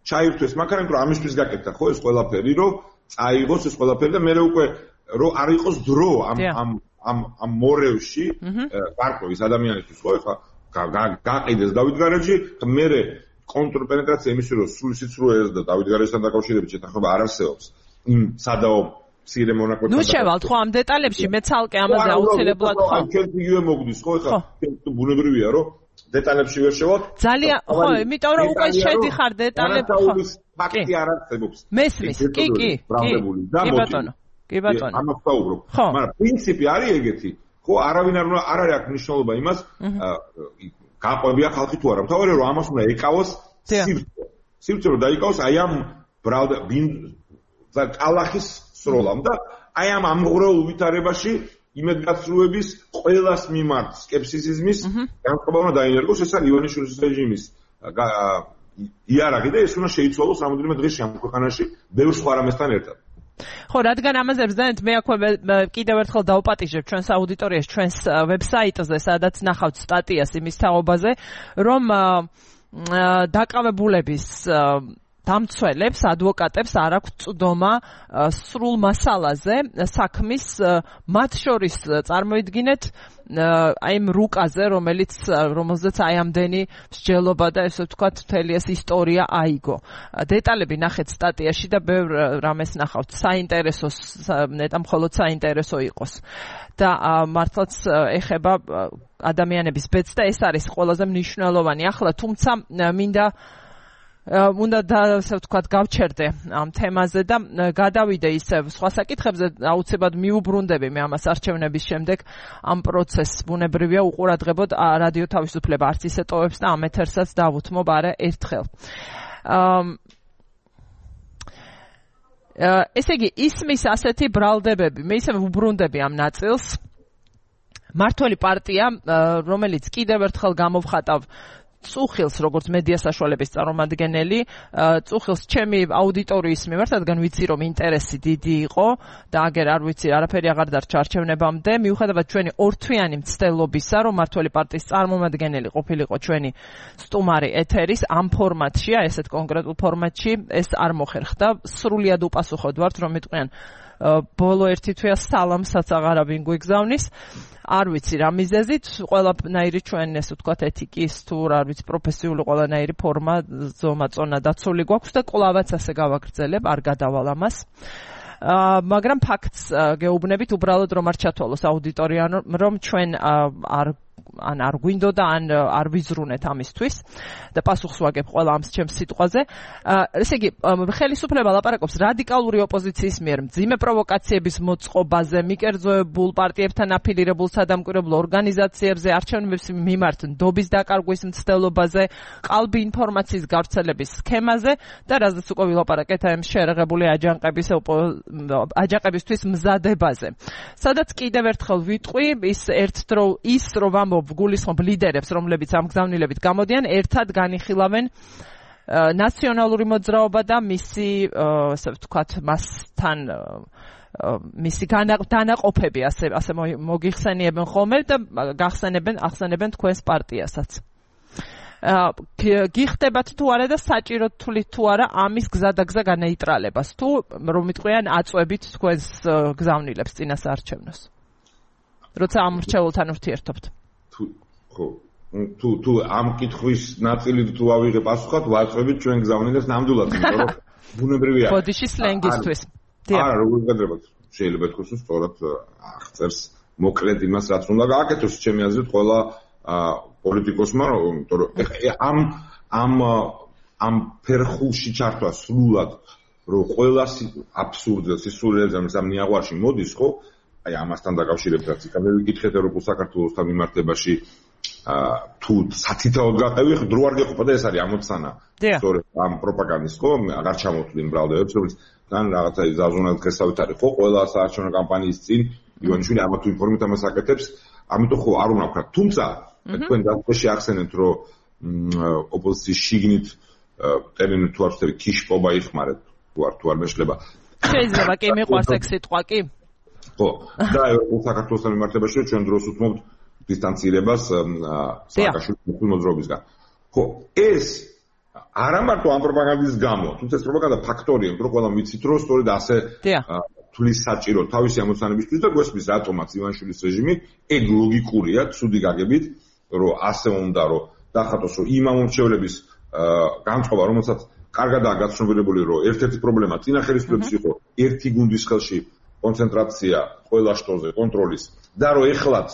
ჩაირთვეს მანქანა, იმიტომ რომ ამისთვის გაკეთდა ხო ეს ყველაფერი, რომ წაიღოს ეს ყველაფერი და მე უკვე რომ არ იყოს დრო ამ ამ ამ ამ მორევში გარკვევის ადამიანისთვის ხო ეხლა გაყიდეს დავით გარეჯი მე კონტრპენეტრაცია იმის რომ სრული სიცრუეს და დავით გარეჯთან დაკავშირებით შეთანხმება არ არსებობს იმ სადაო მცირე მონაკვეთთან. ნუ შევალთ ხო ამ დეტალებში მე ცალკე ამაზე აუცილებლად ხო ჩვენ იგივე მოგდის ხო ეხლა ბუნებრივია რომ დეტალებში ვერ შევალთ. ძალიან ხო, იმიტომ რომ უკვე შედიხარ დეტალებში ხო. ფაქტი არ არსებობს. მესმის, კი, კი, კი. კი ბატონო. კი ბატონო. ამას ვაუბრობ. მაგრამ პრინციპი არის ეგეთი. ხო, არავინ არ უნდა არ არის აქ მნიშვნელობა იმას, გაყვებია ხალხი თუ არა. მთავარია რომ ამას უნდა ეკავოს სივრცე. სივრცე რომ დაიკავოს აი ამ ბრალდა და კალახის სროლამ და აი ამ ამღვრეულ ვითარებაში იმედგაცრუების ყველას მიმართ სკეპსისიზმის განწყობა უნდა დაინერგოს. ეს არის ივანიშვილის რეჟიმის იარაღი და ეს უნდა შეიცვალოს რამოდენიმე დღეში ამ ქვეყანაში ბევრ სხვა რამესთან ერთად. ხო, რადგან ამაზე ბრძანეთ, მე აქვე კიდევ ერთხელ დავპატიჟებ ჩვენს აუდიტორიას, ჩვენს ვებსაიტზე, სადაც ნახავთ სტატიას იმის თაობაზე, რომ დაკავებულების დამცველებს, ადვოკატებს არ აქვს წვდომა სრულ მასალაზე საქმის, მათ შორის წარმოიდგინეთ აი ამ რუკაზე, რომელიც რომელზეც აი ამდენი მსჯელობა და ესე ვთქვათ მთელი ეს ისტორია აიგო. დეტალები ნახეთ სტატიაში და ბევრ რამეს ნახავთ. საინტერესოს ნეტა მხოლოდ საინტერესო იყოს. და მართლაც ეხება ადამიანების ბედს და ეს არის ყველაზე მნიშვნელოვანი. ახლა თუმცა მინდა უნდა და ასე ვთქვათ გავჩერდე ამ თემაზე და გადავიდე ისე სხვა საკითხებზე, აუცილებლად მიუბრუნდები მე ამას არჩევნების შემდეგ ამ პროცესს. ბუნებრივია უყურადღებოდ რადიო თავისუფლება არც ისე ტოვებს და ამ ეთერსაც დავუთმობ არა ერთხელ. ესე იგი ისმის ასეთი ბრალდებები, მე ისე უბრუნდები ამ ნაწილს. მართველი პარტია, რომელიც კიდევ ერთხელ გამოვხატავ წუხილს, როგორც მედია საშუალების წარმომადგენელი, წუხილს ჩემი აუდიტორიის მიმართ, რადგან ვიცი რომ ინტერესი დიდი იყო და აგერ არ ვიცი, არაფერი აღარ დარჩა არჩევნებამდე, მიუხედავად ჩვენი ორთვიანი მცდელობისა, რომ მართველი პარტიის წარმომადგენელი ყოფილიყო ჩვენი სტუმარი ეთერის ამ ფორმატში, აი ესეთ კონკრეტულ ფორმატში, ეს არ მოხერხდა. სრულიად უპასუხოდ ვართ, რომ მეტყვიან ბოლო ერთი თვეა სალამსაც აღარავინ გვიგზავნის. არ ვიცი რა მიზეზით, ყველანაირი ჩვენ ესე ვთქვათ ეთიკის თუ რა ვიცი პროფესიული ყველანაირი ფორმა ზომა წონა დაცული გვაქვს და კლავაც ასე გავაგრძელებ, არ გადავალ ამას. მაგრამ ფაქტს გეუბნებით უბრალოდ რომ არ ჩათვალოს აუდიტორია, რომ ჩვენ არ ან არ გვინდოდა, ან არ ვიზრუნეთ ამისთვის და პასუხს ვაგებ ყველა ამ ჩემს სიტყვაზე. ესე იგი, ხელისუფლება ლაპარაკობს რადიკალური ოპოზიციის მიერ მძიმე პროვოკაციების მოწყობაზე, მიკერძოებულ პარტიებთან აფილირებულ სადამკვირვებლო ორგანიზაციებზე, არჩევნების მიმართ ნდობის დაკარგვის მცდელობაზე, ყალბი ინფორმაციის გავრცელების სქემაზე და რაზეც უკვე ვილაპარაკეთ ამ შეერაღებული აჯანყების აჯანყებისთვის მზადებაზე. სადაც კიდევ ერთხელ ვიტყვი, ის ერთდრო ის რომ ვამბობ გულისხმობ ლიდერებს, რომლებიც ამ გზავნილებით გამოდიან, ერთად განიხილავენ ნაციონალური მოძრაობა და მისი, ასე ვთქვათ, მასთან მისი დანაყოფები ასე ასე მოგიხსენიებენ ხოლმე და გახსენებენ ახსენებენ თქვენს პარტიასაც. გიხდებათ თუ არა და საჭიროდ თვლით თუ არა ამის გზადაგზა განეიტრალებას თუ რომ მიტყვიან აწვევით თქვენს გზავნილებს წინასაარჩევნოს. როცა ამ მრჩეველთან ურთიერთობთ. თუ ხო თუ თუ ამ კითხვის ნაწილი თუ ავიღე პასუხად ვაწვევით ჩვენ გზავნილებს ნამდვილად, იმიტომ რომ ბუნებრივია. ბოდიში სლენგისთვის. არა, როგორ გადრებათ. შეიძლება თქოს რომ სწორად აღწერს მოკლედ იმას, რაც უნდა გააკეთოს, ჩემი აზრით, ყველა პოლიტიკოსმა, იმიტომ რომ ამ ამ ამ ფერხულში ჩართვა სრულად, რომ ყველა აბსურდზე, სისულელზე ამ ნიაღვარში მოდის, ხო? აი ამასთან დაკავშირებითაც იქნება ვიკითხეთ ევროპულ საქართველოსთან მიმართებაში თუ სათითაოდ გაყევი, დრო არ გეყოფა და ეს არის ამოცანა. სწორედ ამ პროპაგანდის, ხო? აღარ ჩამოთვლი იმ ბრალდებს, რომელიც თან რაღაცა ზაზუნად გესავით არის, ხო? ყველა საარჩევნო კამპანიის წინ ივანიშვილი ამა თუ იმ ფორმით ამას აკეთებს, ამიტომ ხო არ უნდა ვქრა. თუმცა თქვენ დასწრებში ახსენეთ, რომ ოპოზიციის შიგნით ტერმინი თუ არ ვწერი ქიშპობა იხმარეთ, თუ არ თუ არ მეშლება. შეიძლება კი მიყვარს ეგ სიტყვა კი? ხო, და ევროპულ საქართველოსთან მიმართებაში ჩვენ დროს უთმობთ დისტანცირებას სააკაშვილის მოძრაობისგან. ხო, ეს არა მარტო ამ პროპაგანდის გამო, თუმცა ეს პროპაგანდა ფაქტორია, რომ ყველამ ვიცით, რომ სწორედ ასე თulis საჭირო თავისი ამოცანებისთვის და გვესმის რატომაც ივანიშვილის რეჟიმი ეგ ლოგიკურია, ცუდი გაგებით, რომ ასე უნდა რომ დახატოს, რომ იმ ამორჩევლების განწყობა, რომელსაც კარგადაა გაცნობილი, რომ ერთ-ერთი პრობლემა წინა ხელისუფლების იყო ერთი გუნდის ხელში კონცენტრაცია ყველა შტოზე კონტროლის და რომ ეხლაც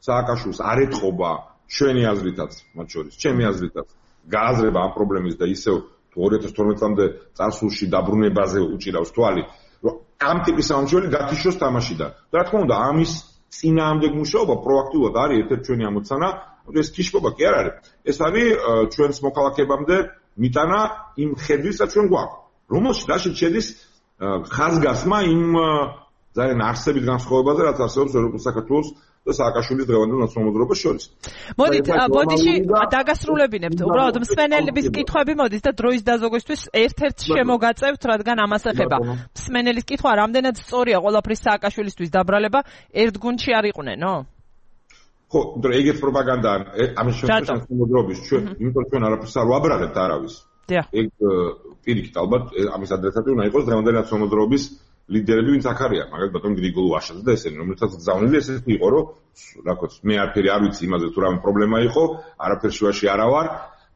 სააკაშვილს არ ეთყობა ჩვენი აზრითაც, მათ შორის, ჩემი აზრითაც გააზრება ამ პრობლემის და ისევ თუ ორი ათას თორმეტ წლამდე წარსულში დაბრუნებაზე უჭირავს თვალი, რომ ამ ტიპის ამორჩეველი გათიშოს თამაშიდან. და რა თქმა უნდა, ამის წინააღმდეგ მუშაობა პროაქტიულად არის ერთ-ერთი ჩვენი ამოცანა, ეს ქიშპობა კი არ არის. ეს არის ჩვენს მოქალაქეებამდე მიტანა იმ ხედვისა ჩვენ გვაქვს, რომელშიც რაშიც შედის ხაზგასმა იმ ძალიან არსებით განსხვავებაზე, რაც არსებობს ევროპულ საქართველოს და სააკაშვილის დღევანდელ ნაციონალურ მოძრაობას შორის. მოდით, ბოდიში დაგასრულებინებთ. უბრალოდ მსმენელების კითხვები მოდით და დროის დაზოგვისთვის ერთ-ერთ შემოგაწევთ, რადგან ამას ეხება. მსმენელის კითხვა რამდენად სწორია ყველაფრის სააკაშვილისთვის დაბრალება ერთ გუნდში არ იყვნენო? ხო, იმიტომ რომ ეგეთ პროპაგანდა ამის შემთხვევაში მოძრაობის ჩვენ, იმიტომ რომ ჩვენ არაფერს არ ვაბრალებთ არავის. ეგ პირიქით ალბათ ამის ადრესატი უნდა იყოს დღევანდელი ნაციონალური მოძრაობის ლიდერები, ვინც აქ არიან, მაგალითად ბატონ გრიგოლ ვაშაძე და ესენი, რომელთაც გზავნილი ესეთი იყო, რომ რა თქმა უნდა, მე არაფერი არ ვიცი იმაზე თუ რამე პრობლემა იყო, არაფერ შუაში არა ვარ,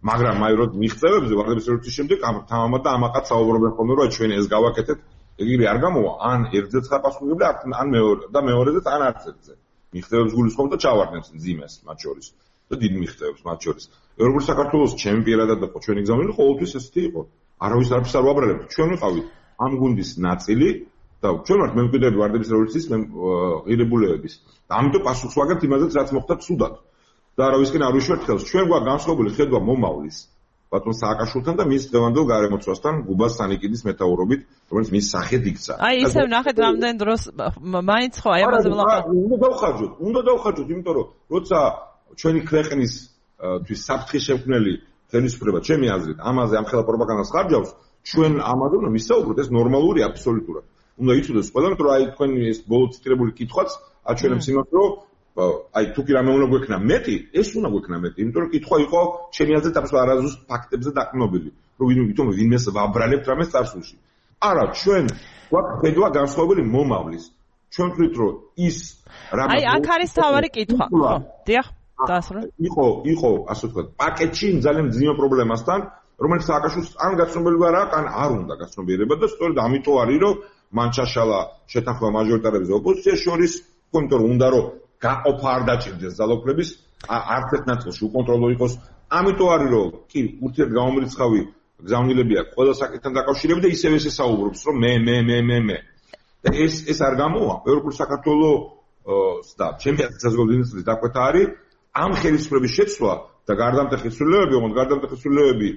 მაგრამ აი რო მიღწევებზე ვარდების რევოლუციის შემდეგ თამამად და ამაყად საუბრობენ ხოლმე, რომ ჩვენ ეს გავაკეთეთ, ეგრე არ გამოვა, ან ერთზეც ხარპასხმული ან მეორე და მეორეზე ან არც ერთზე. მიღწევებს გულისხმობ და ჩავარდნებს ძიმეს მათ შორის და დიდ მიღწევებს მათ შორის. ევროპულ საქართველოს ჩემი პირადად და ჩვენი გზავნილი ყოველთვის ესეთი იყო. არავის არაფერს არ ვაბრალებთ. ჩვენ ვიყავით ამ გუნდის ნაწილი და ჩვენ ვართ მემკვიდრეები ვარდების რევოლუციის ღირებულებების. და ამიტომ პასუხს ვაგებთ იმაზეც, რაც მოხდა ცუდად. და არავისკენ არ ვიშვერთ ხელს. ჩვენ გვაქვს განსხვავებული ხედვა მომავლის ბატონ სააკაშვილთან და მის დღევანდელ გარემოცვასთან გუბას სანიკიდის მეთაურობით, რომელიც მის სახედ იქცა. აი ისევ ნახეთ რამდენ დროს მაინც ხო აი ამაზე ვლაპარაკობ. უნდა დავხარჯოთ, უნდა დავხარჯოთ, იმიტომ რომ როცა ჩვენი ქვეყნის თვის საფრთხის შემქმნელი ხელისუფლება, ჩემი აზრით, ამაზე ამ ხელა პროპაგანდას ხარჯავს, ჩვენ ამაზე უნდა ვისაუბროთ, ეს ნორმალურია აბსოლუტურად. უნდა იცოდეს ყველამ, რომ აი თქვენი ეს ბოლო ციტირებული კითხვაც აჩვენებს იმას, რომ აი თუ კი რამე უნდა გვექნა მეტი, ეს უნდა გვექნა მეტი, იმიტომ რომ კითხვა იყო ჩემი აზრით აბსოლუტურად არაზუსტ ფაქტებზე დაყრდნობილი, რომ ვითომ ვინმეს ვაბრალებთ რამეს წარსულში. არა, ჩვენ გვაქვს ხედვა განსხვავებული მომავლის. ჩვენ ვთვლით, რომ ის რამე აი აქ არის თავარი კითხვა. ხო, დიახ, დაასრულე. იყო, იყო, ასე ვთქვათ, პაკეტში ძალიან ძიმე პრობლემასთან, რომელიც სააკაშვილს ან გაცნობილი არ აქვს, ან არ უნდა გაცნობიერება და სწორედ ამიტომ არის, რომ მან ჩაშალა შეთანხმება მაჟორიტარების ოპოზიციის შორის, იმიტომ რომ უნდა რომ გაყოფა არ დაჭირდეს ძალაუფლების არც ერთ ნაწილში უკონტროლო იყოს. ამიტომ არის რომ კი ურთიერთგამომრიცხავი გზავნილები აქვს ყველა საკითხთან დაკავშირებით და ისევ ესე საუბრობს რომ მე მე მე მე მე და ეს ეს არ გამოვა. ევროპული საქართველოს და ჩემპიონატის საზოგადოების დაკვეთა არის ამ ხელისუფლების შეცვლა და გარდამტეხი ცვლილებები, ოღონდ გარდამტეხი ცვლილებები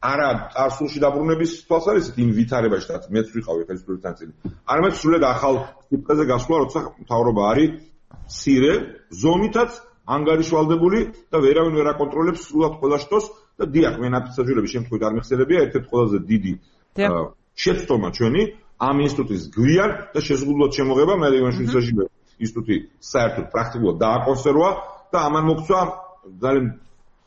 არა წარსულში დაბრუნების თვალსაზრისით იმ ვითარებაში, რაც მეც ვიყავი ხელისუფლების ნაწილი. არამედ სრულად ახალ სიტყვაზე გასვლა, როცა მთავრობა არის მცირე ზომითაც ანგარიშვალდებული და ვერავინ ვერ აკონტროლებს სრულად ყველა შტოს და დიახ, მე ნაფიცაჟურების შემთხვევით არ მიხსენებია ერთ-ერთი ყველაზე დიდი შეცდომა ჩვენი ამ ინსტიტუტის გვიან და შეზღუდულად შემოღება მე ივანიშვილის რეჟიმის ინსტიტუტი საერთოდ პრაქტიკულად დააკონსერვა და ამან მოგცვა ძალიან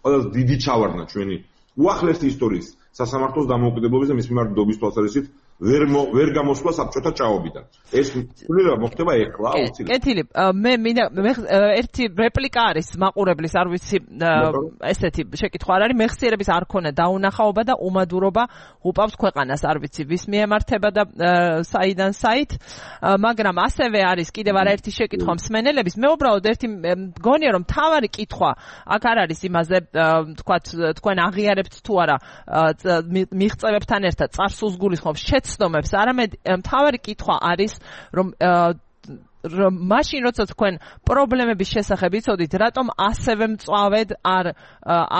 ყველაზე დიდი ჩავარდნა ჩვენი უახლესი ისტორიის სასამართლოს დამოუკიდებლობის და მის მიმართულების თვალსაზრისით ვერ ვერ გამოსვლა საბჭოთა ჭაობიდან. ეს სულიერად მოხდება ეხლა აუცილებლად. კეთილი, მე მინდა ერთი რეპლიკა არის მაყურებლის, არ ვიცი, ესეთი შეკითხვა არ არის, მეხსიერების არ ქონა დაუნახაობა და უმადურობა უპავს ქვეყანას, არ ვიცი, ვის მიემართება და საიდან საით, მაგრამ ასევე არის კიდევ არაერთი შეკითხვა მსმენელების. მე უბრალოდ ერთი მგონია რომ მთავარი კითხვა აქ არ არის იმაზე, თქვათ, თქვენ აღიარებთ თუ არა მიღწევებთან ერთად წარსულს გულისხმობს შეცდომებს, არამედ მთავარი კითხვა არის რომ მაშინ როცა თქვენ პრობლემების შესახებ იცოდით, რატომ ასევე მწვავედ არ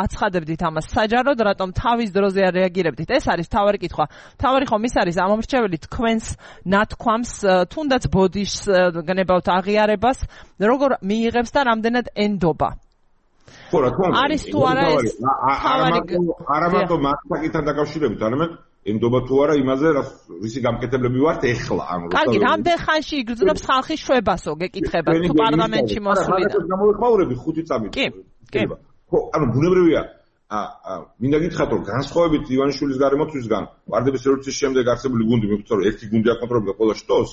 აცხადებდით ამას საჯაროდ, რატომ თავის დროზე არ რეაგირებდით? ეს არის მთავარი კითხვა. მთავარი ხომ ის არის ამომრჩეველი თქვენს ნათქვამს, თუნდაც ბოდიშს გნებავთ აღიარებას, როგორ მიიღებს და რამდენად ენდობა? ხო, რა თქმა უნდა. არის თუ არა ეს თავარი არა მარტო მასაკთან დაკავშირებით, არამედ ენდობა თუ არა იმაზე, რისი გამკეთებლები ვართ ეხლა ამ როცა. კარგი, რამდენ ხანში იგრძნობს ხალხის შვებასო, გეკითხება თუ პარლამენტში მოსვლიდან. გამოვიხმაურები ხუთი წამით. კი, კი. ხო, ანუ ბუნებრივია. აა მინდა გითხრათ რომ განსხვავებით ივანიშვილის გარემოთვისგან, ვარდების რევოლუციის შემდეგ არსებული გუნდი მივხვდა რომ ერთი გუნდი აკონტროლებდა ყველა შტოს,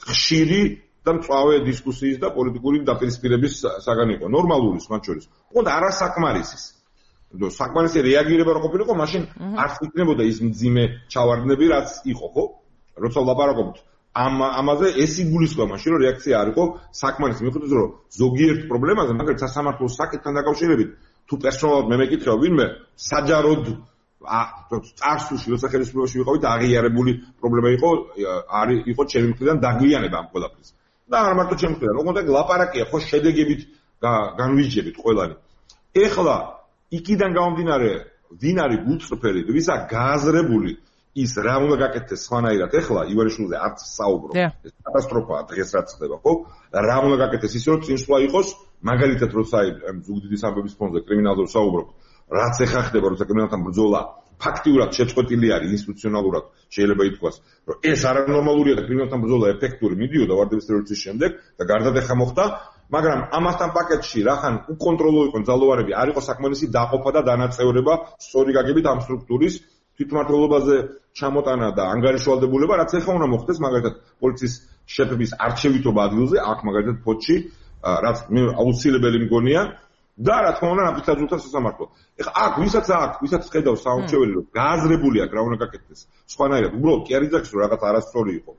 ხშირი და მწვავე დისკუსიის და პოლიტიკური დაპირისპირების საგანი იყო. ნორმალური მათ შორის. ოღონდ არასაკმარისის. და საკმარისი რეაგირება რო ყოფილიყო, მაშინ არც იქნებოდა ის მძიმე ჩავარდნები, რაც იყო, ხო? როცა ვლაპარაკობთ ამ ამაზე, ეს იგულისხმება მაშინ, რომ რეაქცია არ იყო საკმარისი. მიხვდეთ, რომ ზოგიერთ პრობლემაზე, მაგალითად სასამართლოს საკითხთან დაკავშირებით, თუ პერსონალურად მე მეკითხება ვინმე, საჯაროდ წარსულში, როცა ხელისუფლებაში ვიყავით, აღიარებული პრობლემა იყო, არის იყო ჩემი მხრიდან დაგვიანება ამ ყველაფრის. და არ მარტო ჩემი მხრიდან, ოღონდ ლაპარაკია, ხო, შედეგებით განვიჯებით ყველანი. ეხლა იქიდან გამომდინარე, ვინ არის გულწრფელი, ვისა გააზრებული ის რა უნდა გაკეთდეს სხვანაირად, ეხლა ივანიშვილზე არც საუბრო. ეს კატასტროფაა დღეს რაც ხდება, ხო? რა უნდა გაკეთდეს ისე რომ წინსვლა იყოს, მაგალითად როცა ამ ზუგდიდის ამბების ფონზე კრიმინალურ საუბრობთ, რაც ეხა ხდება, როცა კრიმინალთან ბრძოლა ფაქტიურად შეწყვეტილი არის ინსტიტუციონალურად, შეიძლება ითქვას, რომ ეს არანორმალურია და კრიმინალთან ბრძოლა ეფექტური მიდიოდა ვარდების რევოლუციის შემდეგ და გარდადეხა მოხდა. მაგრამ ამასთან პაკეტში რახან უკონტროლო იყო ძალოვარები, არ იყო საკმარისი დაყოფა და დანაწევრება სწორი გაგებით ამ სტრუქტურის თვითმმართველობაზე ჩამოტანა და ანგარიშვალდებულება, რაც ეხლა უნდა მოხდეს, მაგალითად პოლიციის შეფების არჩევითობა ადგილზე, აქ მაგალითად ფოთში, რაც მე აუცილებელი მგონია და რა თქმა უნდა ნაფიცაჟულთა სასამართლო. ეხლა აქ ვისაც აქ, ვისაც ხედავს საუნჩეველი, რომ გააზრებული აქვს რა უნდა გაკეთდეს. სხვანაირად, უბრალოდ კი არის ძახის, რომ რაღაც არასწორი იყო.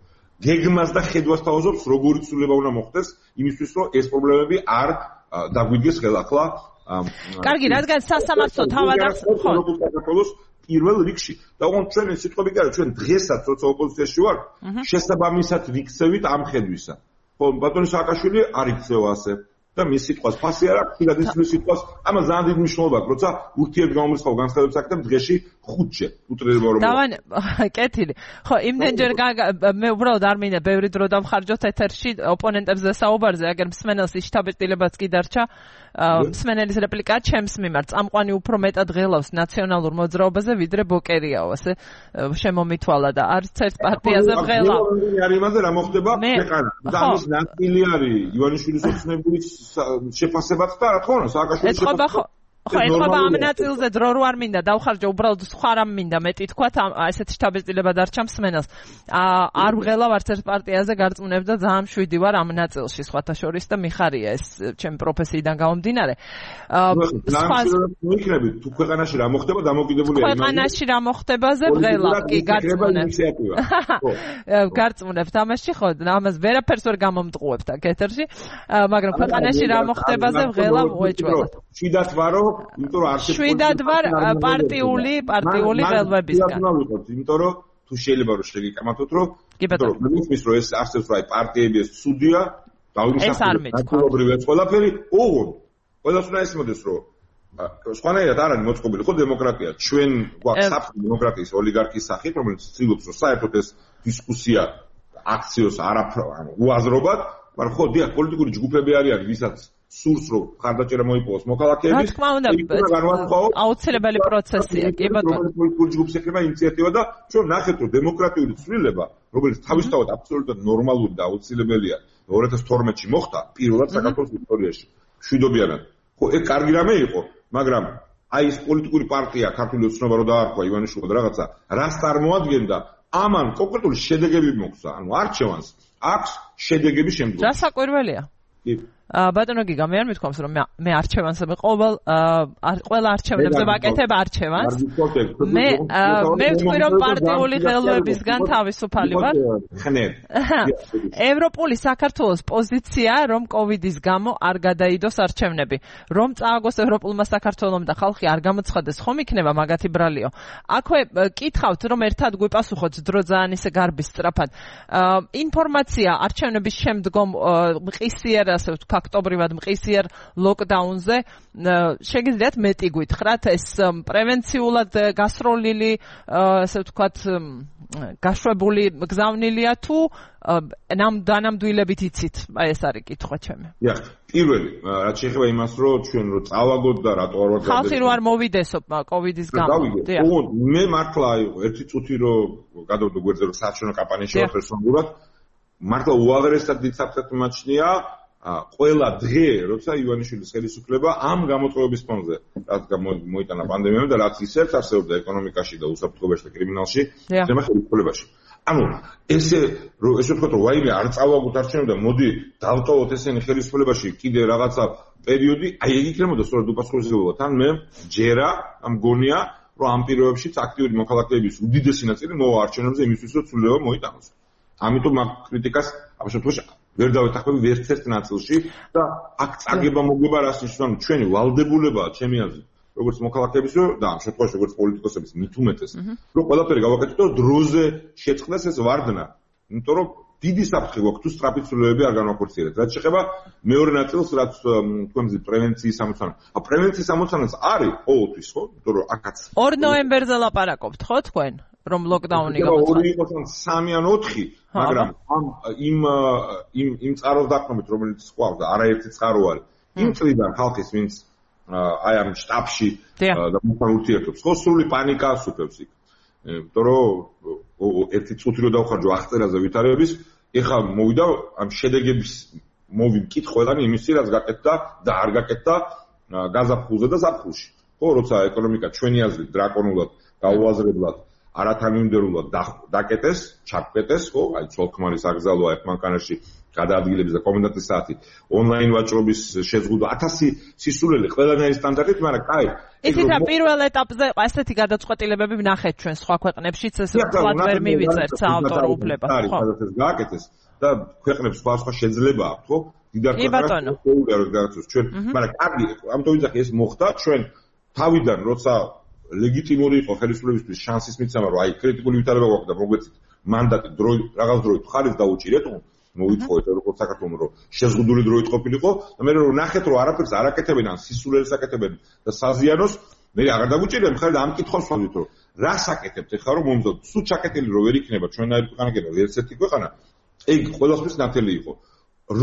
გეგმას და ხედვას თავაზობს, როგორი ცვლილება უნდა მოხდეს, იმისთვის, რომ ეს პრობლემები არ დაგვიდგეს ხელახლა. კარგი, რადგან სასამართლო თავადაც ხო საქართველოს პირველ რიგში. და ოღონდ ჩვენ სიტყვები კი არა, ჩვენ დღესაც როცა ოპოზიციაში ვართ, შესაბამისად ვიქცევით ამ ხედვისა. ხო, ბატონი სააკაშვილი არ იქცევა ასე. და მის სიტყვას ფასი არ აქვს, თუნდაც ის სიტყვას, ამას ძალიან დიდი მნიშვნელობა აქვს, როცა ურთიერთგამომრიცხავ განცხადებს აკეთებ დღეში ხუთჯერ უტრირება რომ. დავან, კეთილი. ხო, იმდენჯერ მე უბრალოდ არ მინდა ბევრი დრო დავხარჯოთ ეთერში ოპონენტებზე საუბარზე, აგერ მსმენელს შთაბეჭდილებაც კი დარჩა. მსმენელის რეპლიკა ჩემს მიმართ წამყვანი უფრო მეტად ღელავს ნაციონალურ მოძრაობაზე, ვიდრე ბოკერიაო, ასე შემომითვალა და არც ერთ პარტიაზე ღელა. არის იმაზე რა მოხდება ქვეყანა. და ამის ნაწილი არის ივანიშვილის ოცნებულის შეფასებაც და რა თქმა უნდა სააკაშვილის შეფასება. ხო, ეხება ამ ნაწილზე დრო რო არ მინდა დავხარჯო, უბრალოდ სხვა რამ მინდა მეტი თქვათ, ესეთი შთაბეჭდილება დარჩა მსმენელს. არ ვღელავ არც ერთ პარტიაზე გარწმუნებ და ძალიან მშვიდი ვარ ამ ნაწილში, სხვათა შორის და მიხარია ეს ჩემი პროფესიიდან გამომდინარე. სხვა მიქნები თუ ქვეყანაში რა მოხდება დამოკიდებულია იმაზე. ქვეყანაში რა მოხდებაზე ვღელავ, კი, გარწმუნებ. გარწმუნებთ ამაში, ხო, ამას ვერაფერს ვერ გამომტყუებთ აქ ეთერში, მაგრამ ქვეყანაში რა მოხდებაზე ვღელავ უეჭველად. შვიდად ვარო, იმიტომ რომ არც შვიდად ვარ პარტიული პარტიული ველვებისგან. იმიტომ რომ თუ შეიძლება რომ შეგიკამათოთ რომ იმიტომ რომ მის რომ ეს არსებს რა პარტიები ეს ცუდია, დავიმსახურებ ეს ყველაფერი, ოღონდ ყველას უნდა ესმოდეს რომ სხვანაირად არ არის მოწყობილი ხო დემოკრატია, ჩვენ გვაქვს საფრთხე დემოკრატიის ოლიგარქიის სახით, რომელიც ცდილობს რომ საერთოდ ეს დისკუსია აქციოს არაფრ ანუ უაზრობად, მაგრამ ხო დიახ პოლიტიკური ჯგუფები არიან, ვისაც სურს რომ ხარდაჭერა მოიპოვოს მოქალაქეების. რა თქმა უნდა, აუცილებელი პროცესია, კი ბატონო. პოლიტიკური ჯგუფს ეკრება ინიციატივა და ჩვენ ნახეთ რომ დემოკრატიული ცვლილება, რომელიც თავისთავად აბსოლუტურად ნორმალური და აუცილებელია, ორი ათას თორმეტში მოხდა პირველად საქართველოს ისტორიაში. შვიდობიანად. ხო, ეგ კარგი რამე იყო, მაგრამ აი ეს პოლიტიკური პარტია ქართული ოცნობა რო დაარქვა ივანიშვილმა და რაღაცა, რას წარმოადგენდა, ამან კონკრეტული შედეგები მოხდა, ანუ არჩევანს აქვს შედეგები შემდგომ. დასაკვირველია. კი. ბატონო გიგა, მე არ მithქვამს რომ მე არჩევანს მე ყოველ ყველა არჩევნებზე ვაკეთებ არჩევანს. მე მე ვთქვი რომ პარტიული ხელოვნებისგან თავისუფალი ვარ. ევროპული საქართველოს პოზიცია რომ კოვიდის გამო არ გადაიდოს არჩევნები. რომ წააგოს ევროპულმა საქართველომ და ხალხი არ გამოცხადეს, ხომ იქნება მაგათი ბრალიო. აქვე კითხავთ რომ ერთად გვიპასუხოთ დრო ძალიან ისე გარბის სწრაფად. ინფორმაცია არჩევნების შემდგომ მყისიერ ასე ვთქვი ფაქტობრივად მყისიერ ლოკდაუნზე შეგიძლიათ მეტი გითხრათ ეს პრევენციულად გასროლილი ასე ვთქვათ გაშვებული გზავნილია თუ დანამდვილებით იცით აი ეს არის კითხვა ჩემი. დიახ, პირველი რაც შეეხება იმას რომ ჩვენ რო წავაგოთ და რატო არ ვარ ხალხი რო არ მოვიდესო კოვიდის გამო. დიახ. მე მართლა ერთი წუთი რო გადავდო გვერდზე რომ საჩვენო კამპანიაში ვარ პერსონალურად მართლა უაღრესად დიდ საფრთხეს მიმაჩნია ყველა დღე, როცა ივანიშვილის ხელისუფლება ამ გამოწყობების ფონზე, რაც მოიტანა პანდემიამ და რაც ისევ არსებობდა ეკონომიკაში და უსაფრთხოებაში და კრიმინალში, ზემა ხელისუფლებაში. ანუ ესე რომ ესე ვთქვათ რომ ვაიმე არ წავაგოთ არჩევნები და მოდი დავტოვოთ ესენი ხელისუფლებაში კიდე რაღაცა პერიოდი, აი ეგ იქნებოდა სწორედ უპასუხისმგებლობა. თან მე ჯერა მგონია რომ ამ პირობებშიც აქტიური მოქალაქეების უდიდესი ნაწილი მოვა არჩევნებზე იმისთვის რომ ცვლილება მოიტანოს. ამიტომ მაგ კრიტიკას ამ შემთხვევაში ვერ დავეთანხმები ვერც ერთ ნაწილში და აქ წაგება მოგება რას ნიშნავს ჩვენი ვალდებულებაა ჩემი აზრით როგორც მოქალაქეების და ამ შემთხვევაში როგორც პოლიტიკოსების მით უმეტეს რომ ყველაფერი გავაკეთოთ და დროზე შეწყდეს ეს ვარდნა იმიტომ რომ დიდი საფრთხე გვაქვს თუ სწრაფი ცვლილებები არ განვახორციელებთ რაც შეეხება მეორე ნაწილს რაც თქვენზე პრევენციის ამოცანა ა პრევენციის ამოცანაც არის ყოველთვის ხო იმიტომ რომ აქაც ორ ნოემბერზე ლაპარაკობთ ხო თქვენ რომ ლოკდაუნი გამოცხადდა. ორი იყოს ან სამი ან ოთხი, მაგრამ ამ იმ იმ იმ წყაროს დახმობით, რომელიც ყავს და არაერთი წყარო არის. იმ წლიდან ხალხის ვინც აი ამ შტაბში და მოთან ურთიერთობს, ხო სრული პანიკა ასუფევს იქ. იმიტომ რომ ერთი წუთი რო დავხარჯო აღწერაზე ვითარების, ეხლა მოვიდა ამ შედეგების მოვიმკით ყველანი იმისი, რაც გაკეთდა და არ გაკეთდა გაზაფხულზე და ზაფხულში. ხო, როცა ეკონომიკა ჩვენი აზრით დრაკონულად გაუაზრებლად არათანმიმდევრულად დაკეტეს, ჩაკეტეს, ხო, აი ცოლ-ქმარის აკრძალვა ერთმანქანაში გადაადგილების და კომენდანტის საათი, ონლაინ ვაჭრობის შეზღუდვა, ათასი სისულელი ყველანაირი სტანდარტით, მაგრამ კაი. ისიც რა პირველ ეტაპზე ასეთი გადაწყვეტილებები ვნახეთ ჩვენ სხვა ქვეყნებშიც, ეს ფლად ვერ მივიწერთ საავტორო უფლებას, ხო? სადაც ეს გააკეთეს და ქვეყნებს სხვა სხვა შეძლება აქვს, ხო? დიდარქონა გადაწყვეტს ჩვენ, მაგრამ კარგი, ამიტომ ვიძახი ეს მოხდა ჩვენ თავიდან როცა ლეგიტიმური იყო ხელისუფლებისთვის შანსის მიცემა რომ აი კრიტიკული ვითარება გვაქვს და მოგვეცით მანდატი დრო რაღაც დროით ხარეს დაუჭირეთ მოვითხოვეთ როგორც საქართველოს რომ შეზღუდული დროით ყოფილიყო და მე რომ ნახეთ რომ არაფერს არ აკეთებენ ან სისულელს აკეთებენ და საზიანოს მე აღარ დაგვიჭირე მხარი და ამ კითხვას ვთქვით რომ რას აკეთებთ ახლა რომ მომზადოთ სულ ჩაკეტილი რო ვერ იქნება ჩვენაირი ქვეყანა კიდევ ერთ ერთი ქვეყანა ეგ ყველასთვის ნათელი იყო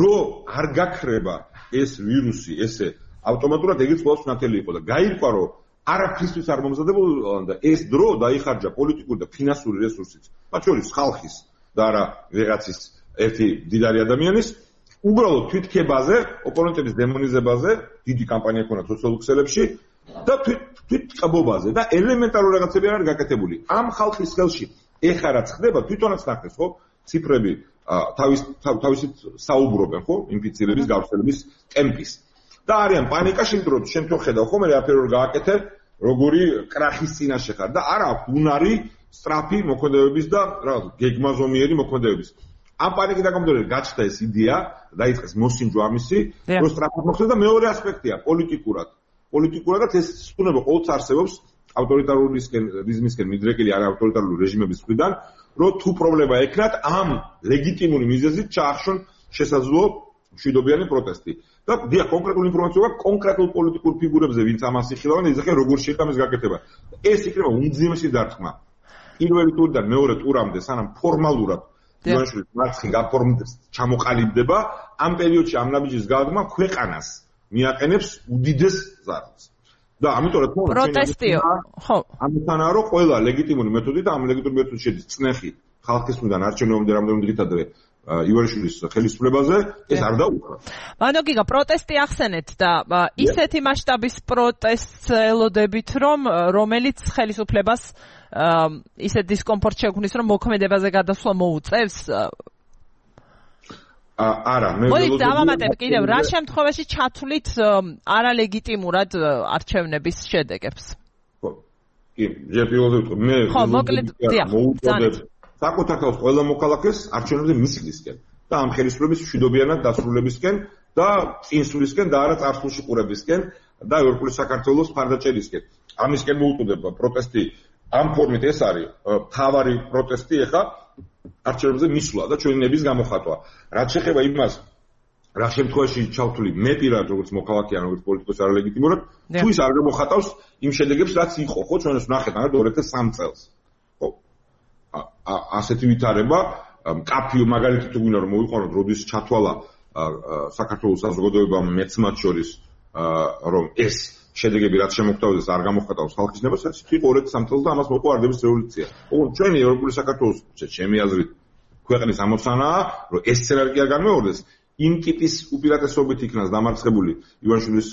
რომ არ გაქრება ეს ვირუსი ესე ავტომატურად ეგეც ყველასთვის ნათელი იყო და გაირკვა რომ არაფრისთვის არ მომზადებულა და ეს დრო დაიხარჯა პოლიტიკური და ფინანსური რესურსით, მათ შორის ხალხის და არა ვიღაცის ერთი დიდარი ადამიანის, უბრალოდ თვითქებაზე, ოპონენტების დემონიზებაზე, დიდი კამპანია ქონდა სოციალურ ქსელებში და თვით წაბობაზე და ელემენტარული რაღაცები არ არის გაკეთებული. ამ ხალხის ხელში ეხლა რაც ხდება, თვითონაც ნახეს, ხო? ციფრები თავის თავისით საუბრობენ, ხო? ინფიცირების, გავრცელების ტემპის. და არიან პანიკაში, იმიტომ რომ შენ თო ხედავ, ხო, მე რაფერი რომ გააკეთე, როგორი კრახის წინაშე ხარ და არ აქვს უნარი სწრაფი მოქმედებების და რაღაც გეგმაზომიერი მოქმედებების. ამ პანიკის გამომდინარე გაჩნდა ეს იდეა, დაიწყეს მოსინჯვა ამისი, რომ სწრაფად მოხდეს და მეორე ასპექტია პოლიტიკურად. პოლიტიკურადაც ეს სუნება ყოველთვის არსებობს ავტორიტარულისკენ, რიზმისკენ მიდრეკილი არ ავტორიტარული რეჟიმების მხრიდან, რომ თუ პრობლემა ექნათ ამ ლეგიტიმური მიზეზით ჩაახშონ შესაძლო მშვიდობიანი პროტესტი. და დიახ, კონკრეტული ინფორმაცია აქვს კონკრეტულ პოლიტიკურ ფიგურებზე, ვინც ამას იხილავენ და იზრახენ როგორ შეიძლება ამის გაკეთება. ეს იქნება უმძიმესი დარტყმა. პირველი ტურიდან მეორე ტურამდე, სანამ ფორმალურად ივანიშვილის მარცხი გაფორმდეს, ჩამოყალიბდება, ამ პერიოდში ამ ნაბიჯის გადადგმა ქვეყანას მიაყენებს უდიდეს ზარალს. და ამიტომ რა თქმა უნდა, პროტესტიო, ხო. ამიტანაა რომ ყველა ლეგიტიმური მეთოდი და ამ ლეგიტიმური მეთოდი შედის წნეხი ხალხის მხრიდან არჩევნებამდე რამდენიმე დღით ადრე ივანიშვილის ხელისუფლებაზე, ეს არ დაუკრა. მანო გიგა, პროტესტი ახსენეთ და ისეთი მასშტაბის პროტესტს ელოდებით, რომ რომელიც ხელისუფლებას ისეთ დისკომფორტ შექმნის, რომ მოქმედებაზე გადასვლა მოუწევს. არა, მე მოდით დავამატებ კიდევ რა შემთხვევაში ჩათვლით არალეგიტიმურად არჩევნების შედეგებს. ხო. კი, ჯერ პირველად მე ხო, მოკლედ, დიახ, მოუწოდებ საკუთარ თავს ყველა მოქალაქეს არჩევნებზე მისვლისკენ და ამ ხელისუფლების მშვიდობიანად დასრულებისკენ და წინსვლისკენ და არა წარსულში ყურებისკენ და ევროპული საქართველოს მხარდაჭერისკენ. ამისკენ მოუწოდება პროტესტი ამ ფორმით ეს არის მთავარი პროტესტი ეხა არჩევნებზე მისვლა და ჩვენი ნების გამოხატვა. რაც შეეხება იმას, რა შემთხვევაში ჩავთვლი მე პირად როგორც მოქალაქე ან როგორც პოლიტიკოსი არალეგიტიმურად, თუ ის არ გამოხატავს იმ შედეგებს, რაც იყო, ხო, ჩვენ ეს ვნახეთ, ანუ ორ ათას სამი წელს. ხო. ასეთი ვითარება, კაფიო მაგალითად თუ გვინდა რომ მოვიყვანოთ, როდის ჩათვალა საქართველოს საზოგადოებამ მეც მათ შორის რომ ეს შედეგები რაც შემოგვთავაზეს არ გამოხატავს ხალხის ნებას, ეს იყო ორ ათას სამი წელს და ამას მოყვა არდების რევოლუცია. ოღონდ ჩვენი ევროპული საქართველოს ჩემი აზრით ქვეყნის ამოცანაა, რომ ეს სცენარი კი არ განმეორდეს. იმ ტიპის უპირატესობით იქნას დამარცხებული ივანიშვილის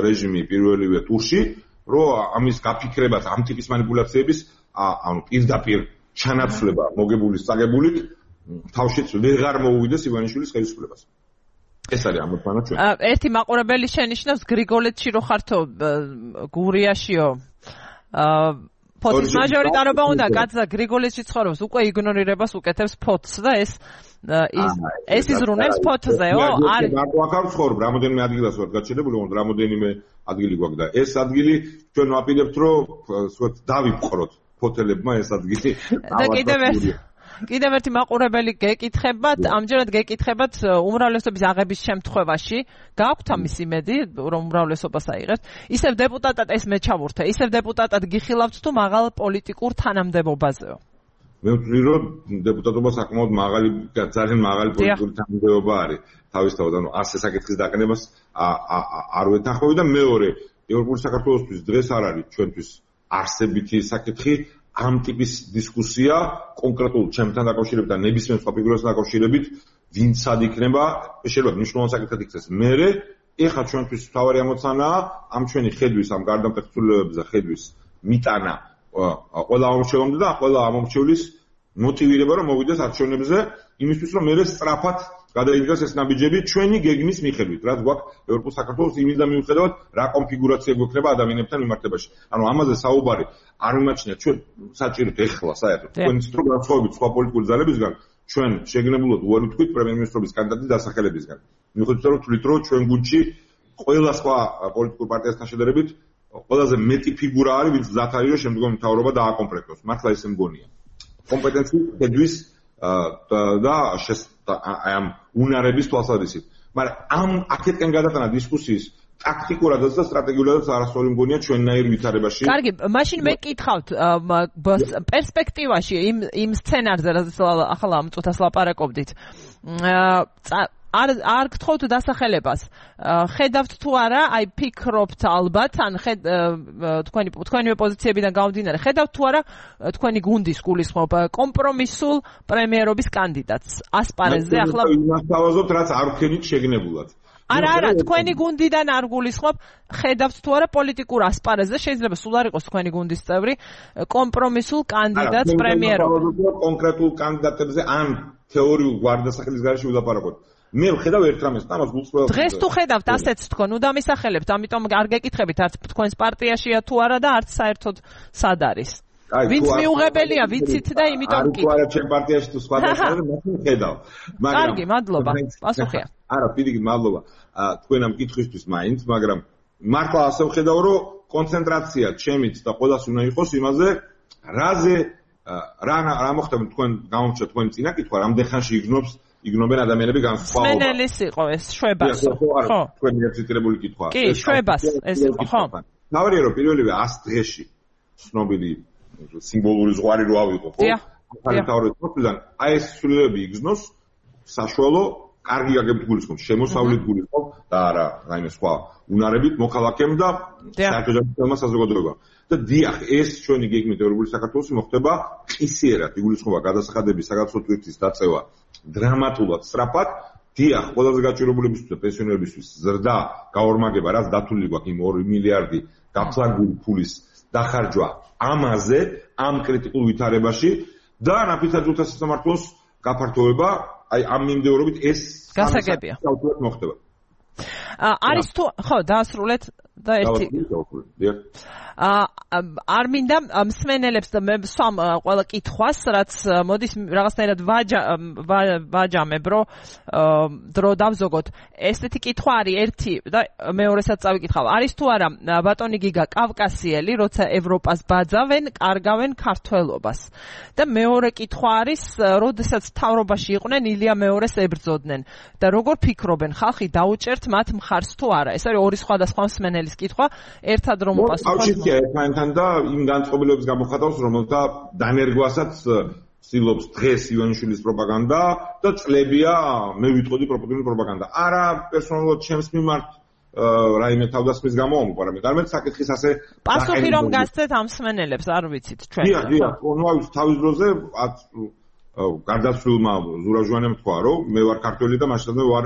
რეჟიმი პირველივე ტურში, რომ ამის გაფიქრებას ამ ტიპის манипуляციების ანუ პირდაპირ ჩანაცვლება მოგებულის წაგებულით თავშეც ვეღარ მოუვიდეს ივანიშვილის ხელისუფლებას. ეს არის ამოცანა ჩვენ. ერთი მაყურებელი შენიშნავს გრიგოლეთში რო ხართო გურიაშიო. ფოთის მაჟორიტარობა უნდა კაცდა გრიგოლეთში ცხოვრობს, უკვე იგნორირებას უკეთებს ფოთს და ეს ეს იზრუნებს ფოთზეო, არის. მარტო აქ არ ცხოვრობ, რამოდენიმე ადგილას ვარ გაჩერებული, ოღონდ რამოდენიმე ადგილი გვაქვს და ეს ადგილი ჩვენ ვაპირებთ, რომ სწორედ დავიპყროთ ფოთელებმა ეს ადგილი. და კიდევ ერთი კიდევ ერთი მაყურებელი გეკითხებათ, ამჯერად გეკითხებათ უმრავლესობის აღების შემთხვევაში, გააქვთ ამის იმედი, რომ უმრავლესობას აიღებთ, ისევ დეპუტატად ეს მე ჩავურთე, ისევ დეპუტატად გიხილავთ თუ მაღალ პოლიტიკურ თანამდებობაზეო? მე ვთვლი, რომ დეპუტატობა საკმაოდ მაღალი, ძალიან მაღალი პოლიტიკური თანამდებობა არის. თავისთავად, ანუ ასე საკითხის დაყენებას არ ვეთანხმები და მეორე, ევროპული საქართველოსთვის დღეს არ არის ჩვენთვის არსებითი საკითხი ამ ტიპის დისკუსია კონკრეტულ ჩემთან დაკავშირებით და ნებისმიერ სხვა ფიგურასთან დაკავშირებით, ვინც სად იქნება, შეიძლება მნიშვნელოვანი საკითხად იქცეს. მერე, ეხლა ჩვენთვის მთავარი ამოცანაა ამ ჩვენი ხედვის, ამ გარდამტეხებულებებზე ხედვის მიტანა ყველა ამომრჩევლამდე და ყველა ამომრჩევლის მოტივირება, რომ მოვიდეს არჩევნებზე, იმისთვის, რომ მერე სწრაფად გადაიდგას ეს ნაბიჯები ჩვენი გეგმის მიხედვით, რაც გვაქვს ევროპულ საქართველოს იმის და მიუხედავად, რა კონფიგურაცია გვექნება ადამიანებთან მიმართებაში. ანუ ამაზე საუბარი არ მიმაჩნია ჩვენ საჭიროდ ეხლა საერთოდ. თქვენ ცოტა განსხვავებით სხვა პოლიტიკური ძალებისგან, ჩვენ შეგნებულად უარი ვთქვით პრემიერ-მინისტრობის კანდიდატის დასახელებისგან. მიუხედავად რომ თვლით, რომ ჩვენ გუნდში ყველა სხვა პოლიტიკურ პარტიასთან შედარებით ყველაზე მეტი ფიგურა არის, ვინც მზად არის, რომ შემდგომი მთავრობა დააკომპლექტოს. მართლა ესე მგონია. კომპეტენციის ხედვის და ამ უნარების თვალსაზრისით. მაგრამ ამ აქეთკენ გადატანა დისკუსიის ტაქტიკურადაც და სტრატეგიულადაც არასწორი მგონია ჩვენნაირ ვითარებაში. კარგი, მაშინ მე გკითხავთ პერსპექტივაში იმ იმ სცენარზე, რაც ახლა ამ წუთას ლაპარაკობდით. არ არ გთხოვთ დასახელებას. ხედავთ თუ არა, აი ფიქრობთ ალბათ, ან თქვენი თქვენივე პოზიციებიდან გამომდინარე, ხედავთ თუ არა თქვენი გუნდის გულისხმობ კომპრომისულ პრემიერობის კანდიდატს ასპარეზზე ახლა ვიმასთავაზობთ, რაც არ ვქენით შეგნებულად. არა, არა, თქვენი გუნდიდან არ გულისხმობ, ხედავთ თუ არა პოლიტიკურ ასპარეზზე, შეიძლება სულ არ იყოს თქვენი გუნდის წევრი, კომპრომისულ კანდიდატს პრემიერობაში. კონკრეტულ კანდიდატებზე ან თეორიულ გვარდასახელის გარეშე ვილაპარაკოთ. მე ვხედავ ერთ რამეს, ამას გულს ყველა. დღეს თუ ხედავთ ასეც თქვენ, უდამისახელებთ, ამიტომ არ გეკითხებით, არც თქვენს პარტიაშია თუ არა და არც საერთოდ სად არის. ვინც მიუღებელია, ვიცით და იმიტომ კი. არა, ჩემ პარტიაში თუ სხვა დასახელება, მაშინ ვხედავ. მაგრამ კარგი, მადლობა. პასუხია. არა, პირიქით, მადლობა. თქვენ ამ კითხვისთვის მაინც, მაგრამ მართლა ასე ვხედავ, რომ კონცენტრაცია ჩემით და ყველას უნდა იყოს იმაზე, რაზე რა რა მოხდება თქვენ გამომჩა თქვენი წინა კითხვა, რამდენ ხანში იგნობს იგნობენ ადამიანები განსხვავება. სმენელის იყო ეს შვებასო. ხო. თქვენი ეციტირებული კითხვა. კი, შვებას ეს იყო, ხო. ნავარია რომ პირველივე ას დღეში ცნობილი სიმბოლური ზღვარი რო ავიღო, ხო? ახალი თავრეთ მოწვიდან აი ეს სრულები იგზნოს საშუალო კარგი აგებით გულისხმობ, შემოსავლით გულისხმობ და არა რაიმე სხვა უნარებით მოქალაქემ და საერთაშორისო საზოგადოება. და დიახ, ეს ჩვენი გეგმით ევროპული საქართველოს მოხდება ყისიერად, იგულისხმობა გადასახადების საგაცნო თვისის დაწევა დრამატულად სწრაფად. დიახ, ყველაზე გაჭირებულებისთვის და პენსიონერებისთვის ზრდა გაორმაგება, რაც დათვლილი გვაქვს იმ ორი მილიარდი გაფლანგული ფულის დახარჯვა ამაზე, ამ კრიტიკულ ვითარებაში და ნაფიცაძულთა სასამართლოს გაფართოვება, აი ამ მიმდევრობით ეს გასაგებია. მოხდება. არის თუ ხო, დაასრულეთ და ერთი არ მინდა მსმენელებს და სვამ ყველა კითხვას, რაც მოდის რაღაცნაირად ვაჯამებ, რომ დრო დავზოგოთ. ესეთი კითხვა არის ერთი და მეორესაც წავიკითხავ. არის თუ არა ბატონი გიგა კავკასიელი, როცა ევროპას ბაძავენ, კარგავენ ქართველობას. და მეორე კითხვა არის, როდესაც თავრობაში იყვნენ, ილია მეორეს ებრძოდნენ. და როგორ ფიქრობენ, ხალხი დაუჭერთ მათ მხარს თუ არა? ეს არის ორი სხვადასხვა მსმენელის კითხვა, ერთად რომ პასუხობ ერთმანეთთან და იმ განწყობილების გამოხატავს, რომელთა დანერგვასაც ცდილობს დღეს ივანიშვილის პროპაგანდა და წლებია მე ვიტყოდი პროპაგანდული პროპაგანდა. არა პერსონალურად ჩემს მიმართ რაიმე თავდასხმის გამო, მაგრამ გარმეთ საკითხის ასე პასუხი რომ გასცეთ ამ მსმენელებს, არ ვიცით ჩვენ. დიახ, დიახ, ნუ თავის დროზე გარდაცვლილმა ზურაჟვანემ თქვა, რომ მე ვარ ქართველი და მაშინდელმე ვარ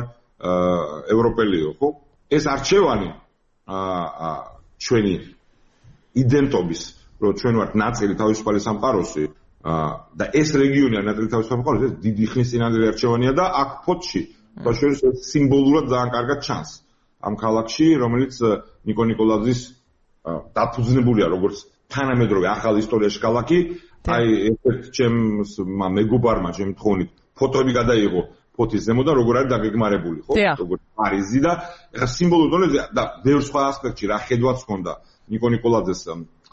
ევროპელიო, ხო? ეს არჩევანი აა ჩვენი იდენტობის, რომ ჩვენ ვართ ნაწილი თავისუფალი სამყაროსი და ეს რეგიონი არის ნაწილი თავისუფალი სამყაროსი, ეს დიდი ხნის წინანდელი არჩევანია და აქ ფოთში ბაშურის სიმბოლურად ძალიან კარგად ჩანს ამ ქალაქში, რომელიც ნიკო ნიკოლაძის დაფუძნებულია როგორც თანამედროვე ახალ ისტორიაში ქალაქი. აი ერთ ჩემს მეგობარმა ჩემი თხოვნით ფოტოები გადაიღო ფოთის ზემოდან, როგორ არის დაგეგმარებული, ხო? როგორ პარიზი და ეხა სიმბოლურ დონეზე და ბევრ სხვა ასპექტში რა ხედვაც ჰქონდა ნიკო ნიკოლაძეს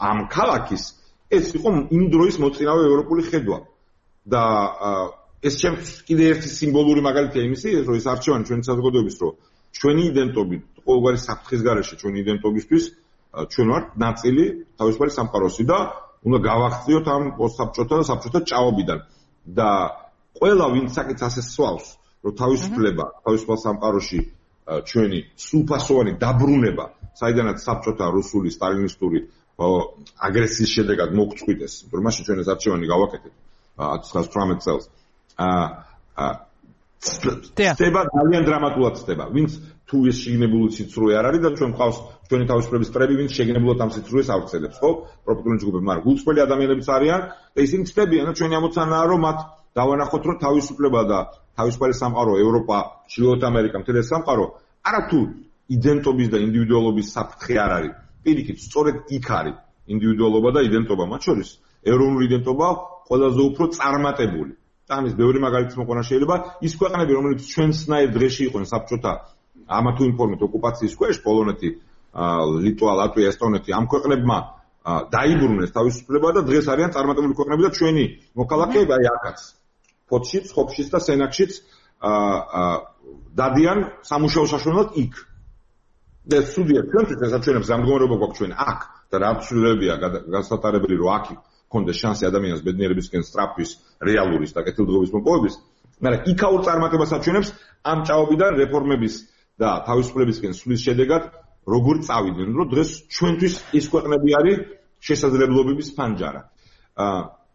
ამ ქალაქის, ეს იყო იმ დროის მოწინავე ევროპული ხედვა. და ეს ჩემს კიდე ერთი სიმბოლური მაგალითია იმისი, რომ ეს არჩევანი ჩვენი საზოგადოების, რომ ჩვენი იდენტობით, ყოველგვარი საფრთხის გარეშე ჩვენი იდენტობისთვის ჩვენ ვართ ნაწილი თავისუფალი სამყაროსი და უნდა გავახციოთ ამ პოსტსაბჭოთა და საბჭოთა ჭაობიდან. და ყველა ვინც საკითხს ასე სვავს, რომ თავისუფლება, თავისუფალ სამყაროში ჩვენი სრულფასოვანი დაბრუნება, საიდანაც საბჭოთა რუსული სტალინისტური აგრესიის შედეგად მოგწყვიტეს, რომ მაშინ ჩვენ ეს არჩევანი გავაკეთეთ ათას ცხრამეტ წელს. აა ხდება ძალიან დრამატულად ხდება. ვინც თუ ეს შეგნებული სიცრუე არ არის და ჩვენ ყავს ჩვენი თავისუფლების წრები, ვინც შეგნებულად ამ სიცრუეს ავწელებს, ხო? პროპაგანდული ჯგუფები, მაგრამ გულწრფელი ადამიანებიც არიან და ისინი ხდებიან და ჩვენი ამოცანაა, რომ მათ დავანახოთ, რომ თავისუფლება და თავისუფალი სამყარო, ევროპა, ჩრდილოეთ ამერიკა, მთელი სამყარო არათუ იდენტობის და ინდივიდუალობის საფრთხე არ არის. პირიქით, სწორედ იქ არის ინდივიდუალობა და იდენტობა, მათ შორის ეროვნული იდენტობა ყველაზე უფრო წარმატებული. და ამის ბევრი მაგალითი მოყვანა შეიძლება. ის ქვეყნები, რომლებიც ჩვენსნაირ დღეში იყვნენ საბჭოთა ამა თუ იმ ფორმით ოკუპაციის ქვეშ, პოლონეთი, ლიტვა, ლატვია, ესტონეთი, ამ ქვეყნებმა დაიბრუნეს თავისუფლება და დღეს არიან წარმატებული ქვეყნები და ჩვენი მოქალაქეები აი აქაც ფოთშიც, ხოფშიც და სენაკშიც დადიან სამუშაო საშუალებლად იქ. და სუდია ჩვენთვის ეს აჩვენებს გამდგომარეობა გვაქვს ჩვენ აქ და რა ცვლილებებია გასატარებელი, რომ აქ კონდეს შანსი ადამიანის ბედნიერებისკენ სწრაფვის, რეალურის და კეთილდღეობის მოპოვების. მაგრამ იქაურ წარმატებას აჩვენებს ამ ჭაობიდან რეფორმების და თავისუფლებისკენ სვლის შედეგად როგორ წავიდნენ, რომ დღეს ჩვენთვის ის ქვეყნები არის შესაძლებლობების ფანჯარა.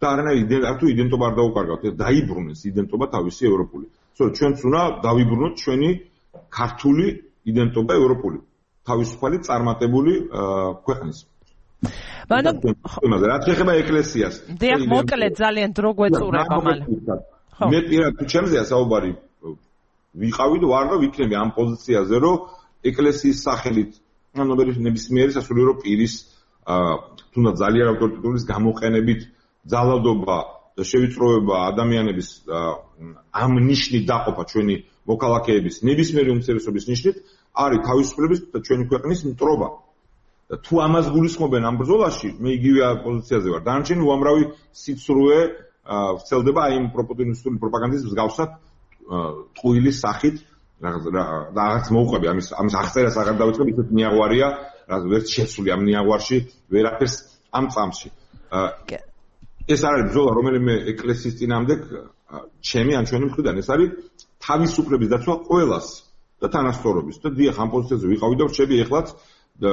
და არანაირი თუ იდენტობა არ დაუკარგავთ, დაიბრუნეს იდენტობა თავისი ევროპული. სწორედ ჩვენც უნდა დავიბრუნოთ ჩვენი ქართული იდენტობა ევროპული, თავისუფალი წარმატებული ქვეყნის. მაგრამ იმაზე რაც ეხება ეკლესიას. დიახ, მოკლედ ძალიან დრო გვეწურება მალე. მე პირად თუ ჩემზეა საუბარი ვიყავი და ვარ და ვიქნები ამ პოზიციაზე, რომ ეკლესიის სახელით ანუ ნებისმიერი სასულიერო პირის თუნდაც ძალიან ავტორიტეტულის გამოყენებით ძალადობა და შევიწროება ადამიანების ამ ნიშნით დაყოფა ჩვენი მოქალაქეების ნებისმიერი უმცირესობის ნიშნით არის თავისუფლების და ჩვენი ქვეყნის მტრობა. და თუ ამას გულისხმობენ ამ ბრძოლაში, მე იგივე პოზიციაზე ვარ. დანარჩენი უამრავი სიცრუე ვრცელდება აი იმ პროპაგანდისტული პროპაგანდის მსგავსად ტყუილის სახით რაღაც მოუყვები ამის ამის აღწერას აღარ დავიწყებ, ისეთ ნიაღვარია, რაც ვერც შეცვლი ამ ნიაღვარში, ვერაფერს ამ წამსში. ეს არის ბრძოლა, რომელიმე ეკლესიის წინააღმდეგ ჩემი ან ჩვენი მხრიდან ეს არის თავისუფლების დაცვა ყველას და თანასწორობის. და დიახ, ამ პოზიციაზე ვიყავი და რჩები ეხლაც და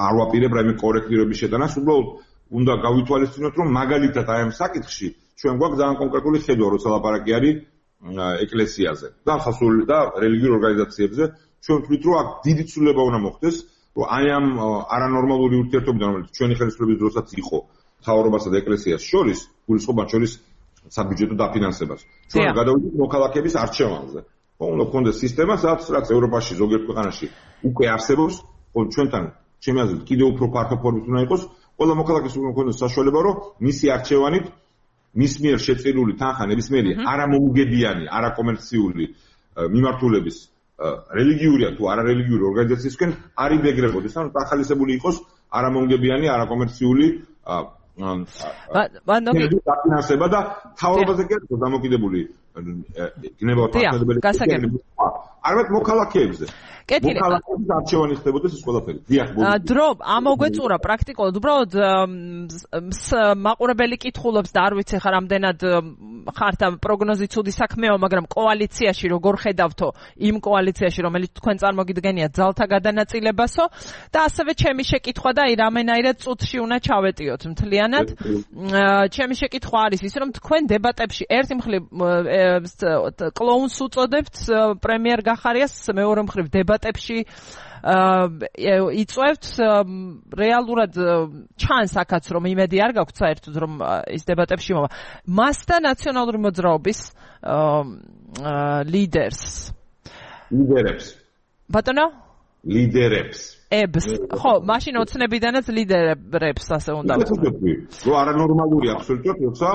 არ ვაპირებ რაიმე კორექტირების შეტანას, უბრალოდ უნდა გავითვალისწინოთ, რომ მაგალითად აი ამ საკითხში ჩვენ გვაქვს ძალიან კონკრეტული ხედვა, როცა ლაპარაკი არის ეკლესიაზე და ხალხურ და რელიგიურ ორგანიზაციებზე. ჩვენ ვთვლით, რომ აქ დიდი ცვლილება უნდა მოხდეს, რომ აი ამ არანორმალური ურთიერთობიდან, რომელიც ჩვენი ხელისუფლების დროსაც იყო მთავრობასა და ეკლესიას შორის, გულისხმობ შორის საბიუჯეტო დაფინანსებას. ჩვენ გადავიდეთ მოქალაქეების არჩევანზე. უნდა გქონდეს სისტემა, სადაც რაც ევროპაში ზოგიერთ ქვეყანაში უკვე არსებობს, ჩვენთან ჩემი აზრით კიდევ უფრო ფართო ფორმით უნდა იყოს, ყველა მოქალაქეს უნდა გქონდეს საშუალება, რომ მისი არჩევანით მის მიერ შეწირული თანხა ნებისმიერი არამოუგებიანი, არაკომერციული მიმართულების რელიგიურია თუ არარელიგიური ორგანიზაციისკენ არ იბეგრებოდეს, ანუ დახალისებული იყოს არამოუგებიანი, არაკომერციული დაფინანსება და თავრობაზე კი არის დამოკიდებული გნებავთ მართლმადიდებელი არამედ მოქალაქეებზე. მოქალაქეების არჩევანი ხდებოდეს ეს ყველაფერი. დიახ, დრო ამოგვეწურა პრაქტიკულად, უბრალოდ მაყურებელი კითხულობს და არ ვიცი ხარ რამდენად ხართ ამ პროგნოზი ცუდი საქმეა, მაგრამ კოალიციაში როგორ ხედავთო იმ კოალიციაში, რომელიც თქვენ წარმოგიდგენიათ ძალთა გადანაწილებასო და ასევე ჩემი შეკითხვა და აი რამენაირად წუთში უნდა ჩავეტიოთ მთლიანად. ჩემი შეკითხვა არის ის, რომ თქვენ დებატებში ერთი მხრივ კლოუნს უწოდებთ პრემიერ გახარიას, მეორე მხრივ დებატებში იწვევთ რეალურად ჩანს აქაც რომ იმედი არ გაქვთ საერთოდ რომ ის დებატებში მოვა მას და ნაციონალური მოძრაობის ლიდერს ლიდერებს ბატონო ლიდერებს ებს ხო მაშინ ოცნებიდანაც ლიდერებს ასე უნდა ვთქვი რომ არანორმალური აბსოლუტურად როცა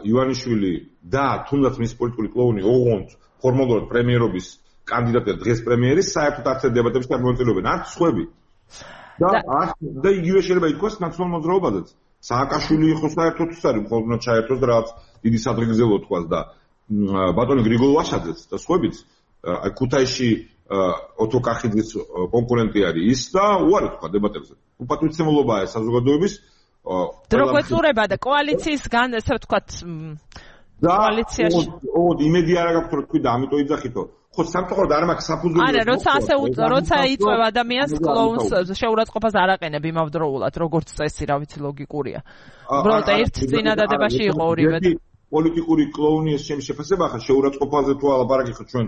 ივანიშვილი და თუნდაც მის პოლიტიკური კლოუნი ოღონდ ფორმალურად პრემიერობის კანდიდატია დღეს პრემიერის საერთოდ არც დებატებში არ მონაწილეობენ, არც სხვები. და და იგივე შეიძლება ითქვას ნაციონალურ მოძრაობაზეც. სააკაშვილი იყო საერთოდ ის არის, მხოლოდ უნდა ჩაერთოს და რაღაც დიდი სადღეგრძელო თქვას და ბატონი გრიგოლ ვაშაძეც და სხვებიც აი ქუთაისში ოტო კახიძის კონკურენტი არის ის და უარი თქვა დებატებზე. უპატრიცემულობაა საზოგადოების დრო გვეწურება და კოალიციისგან ესე ვთქვათ კოალიციაში ოდ იმედი არ აქვს რომ თქვი და ამიტომ იძახითო ხო სამწუხაროდ არ მაქვს საფუძველი არა როცა ასე როცა იწვევ ადამიანს კლოუნს შეურაცხყოფას არ აყენებ იმავდროულად როგორც წესი რა ვიცი ლოგიკურია უბრალოდ ერთ წინადადებაში იყო ორივე პოლიტიკური კლოუნი ეს ჩემი შეფასება ხა შეურაცხყოფაზე თუ ალაპარაკი ხო ჩვენ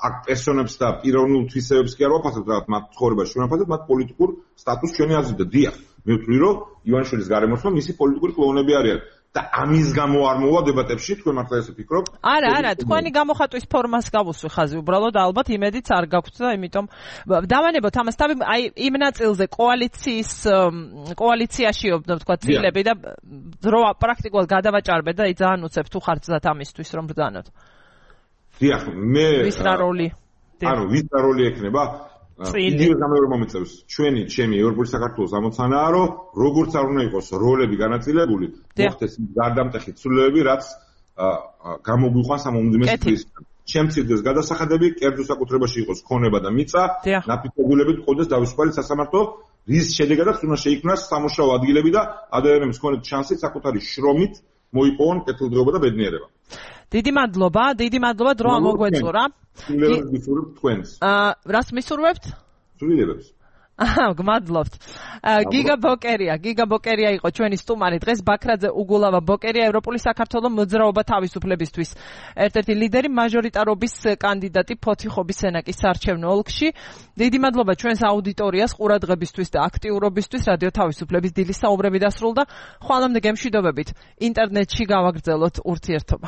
აქ პერსონებს და პიროვნულ თვისებებს კი არ ვაფასებთ რა მათ ცხოვრებაში ვაფასებთ მათ პოლიტიკურ სტატუსს ჩვენი აზრით და დიახ მე ვთვლი რომ ივანიშვილის გარემოსმა მისი პოლიტიკური კლოუნები არიან და ამის გამო არ მოვა დებატებში თქვენ მართლა ესე ფიქრობთ? არა, არა, თქვენი გამოხატვის ფორმას გავუსვი ხაზი, უბრალოდ ალბათ იმედიც არ გაქვთ და იმიტომ დავანებოთ ამას თავი აი იმ ნაწილზე კოალიციის კოალიციაშიო თქვა წილები და დრო პრაქტიკულად გადავაჭარბეთ და ძალიან უცებ თუ ხართ ზათ ამისთვის რომ ბრძანოთ. დიახ, მე ვის რა როლი? ანუ ვის რა როლი ექნება? იდეა გამეორ მომეწევს ჩვენი ჩემი ევროპული საქართველოს ამოცანაა რომ როგორც არ უნდა იყოს როლები განაწილებული მოხდეს გარდამტეხი ცვლილებები რაც გამოგვიყვანს ამ უმძიმეს ჩემცირდეს გადასახადები კერძო საკუთრებაში იყოს ქონება და მიწა ნაფიცებულებით ყოდეს დავისუფალი სასამართლო რის შედეგადაც უნდა შეიქმნას სამუშაო ადგილები და ადამიანების ქონეთ შანსი საკუთარი შრომით მოიპოვონ კეთილდღეობა და ბედნიერება დიდი მადლობა, დიდი მადლობა დრო ამოგვეწურა. სრულიად მისურვებთ თქვენს. აა, რას მისურვებთ? სრულიადებს. აჰა, გმადლობთ. გიგა ბოკერია, გიგა ბოკერია იყო ჩვენი სტუმარი. დღეს ბაქრაძე უგულავა ბოკერია ევროპული საქართველოს მოძრაობა თავისუფლებისთვის. ერთ-ერთი ლიდერი მაჟორიტარობის კანდიდატი ფოთიხობის სენაკის საარჩევნო ოლქში. დიდი მადლობა ჩვენს აუდიტორიას ყურადღებისთვის და აქტიურობისთვის. რადიო თავისუფლების დილის საუბრები დასრულდა. ხვალამდე გემშვიდობებით. ინტერნეტში გავაგრძელოთ ურთიერთობა.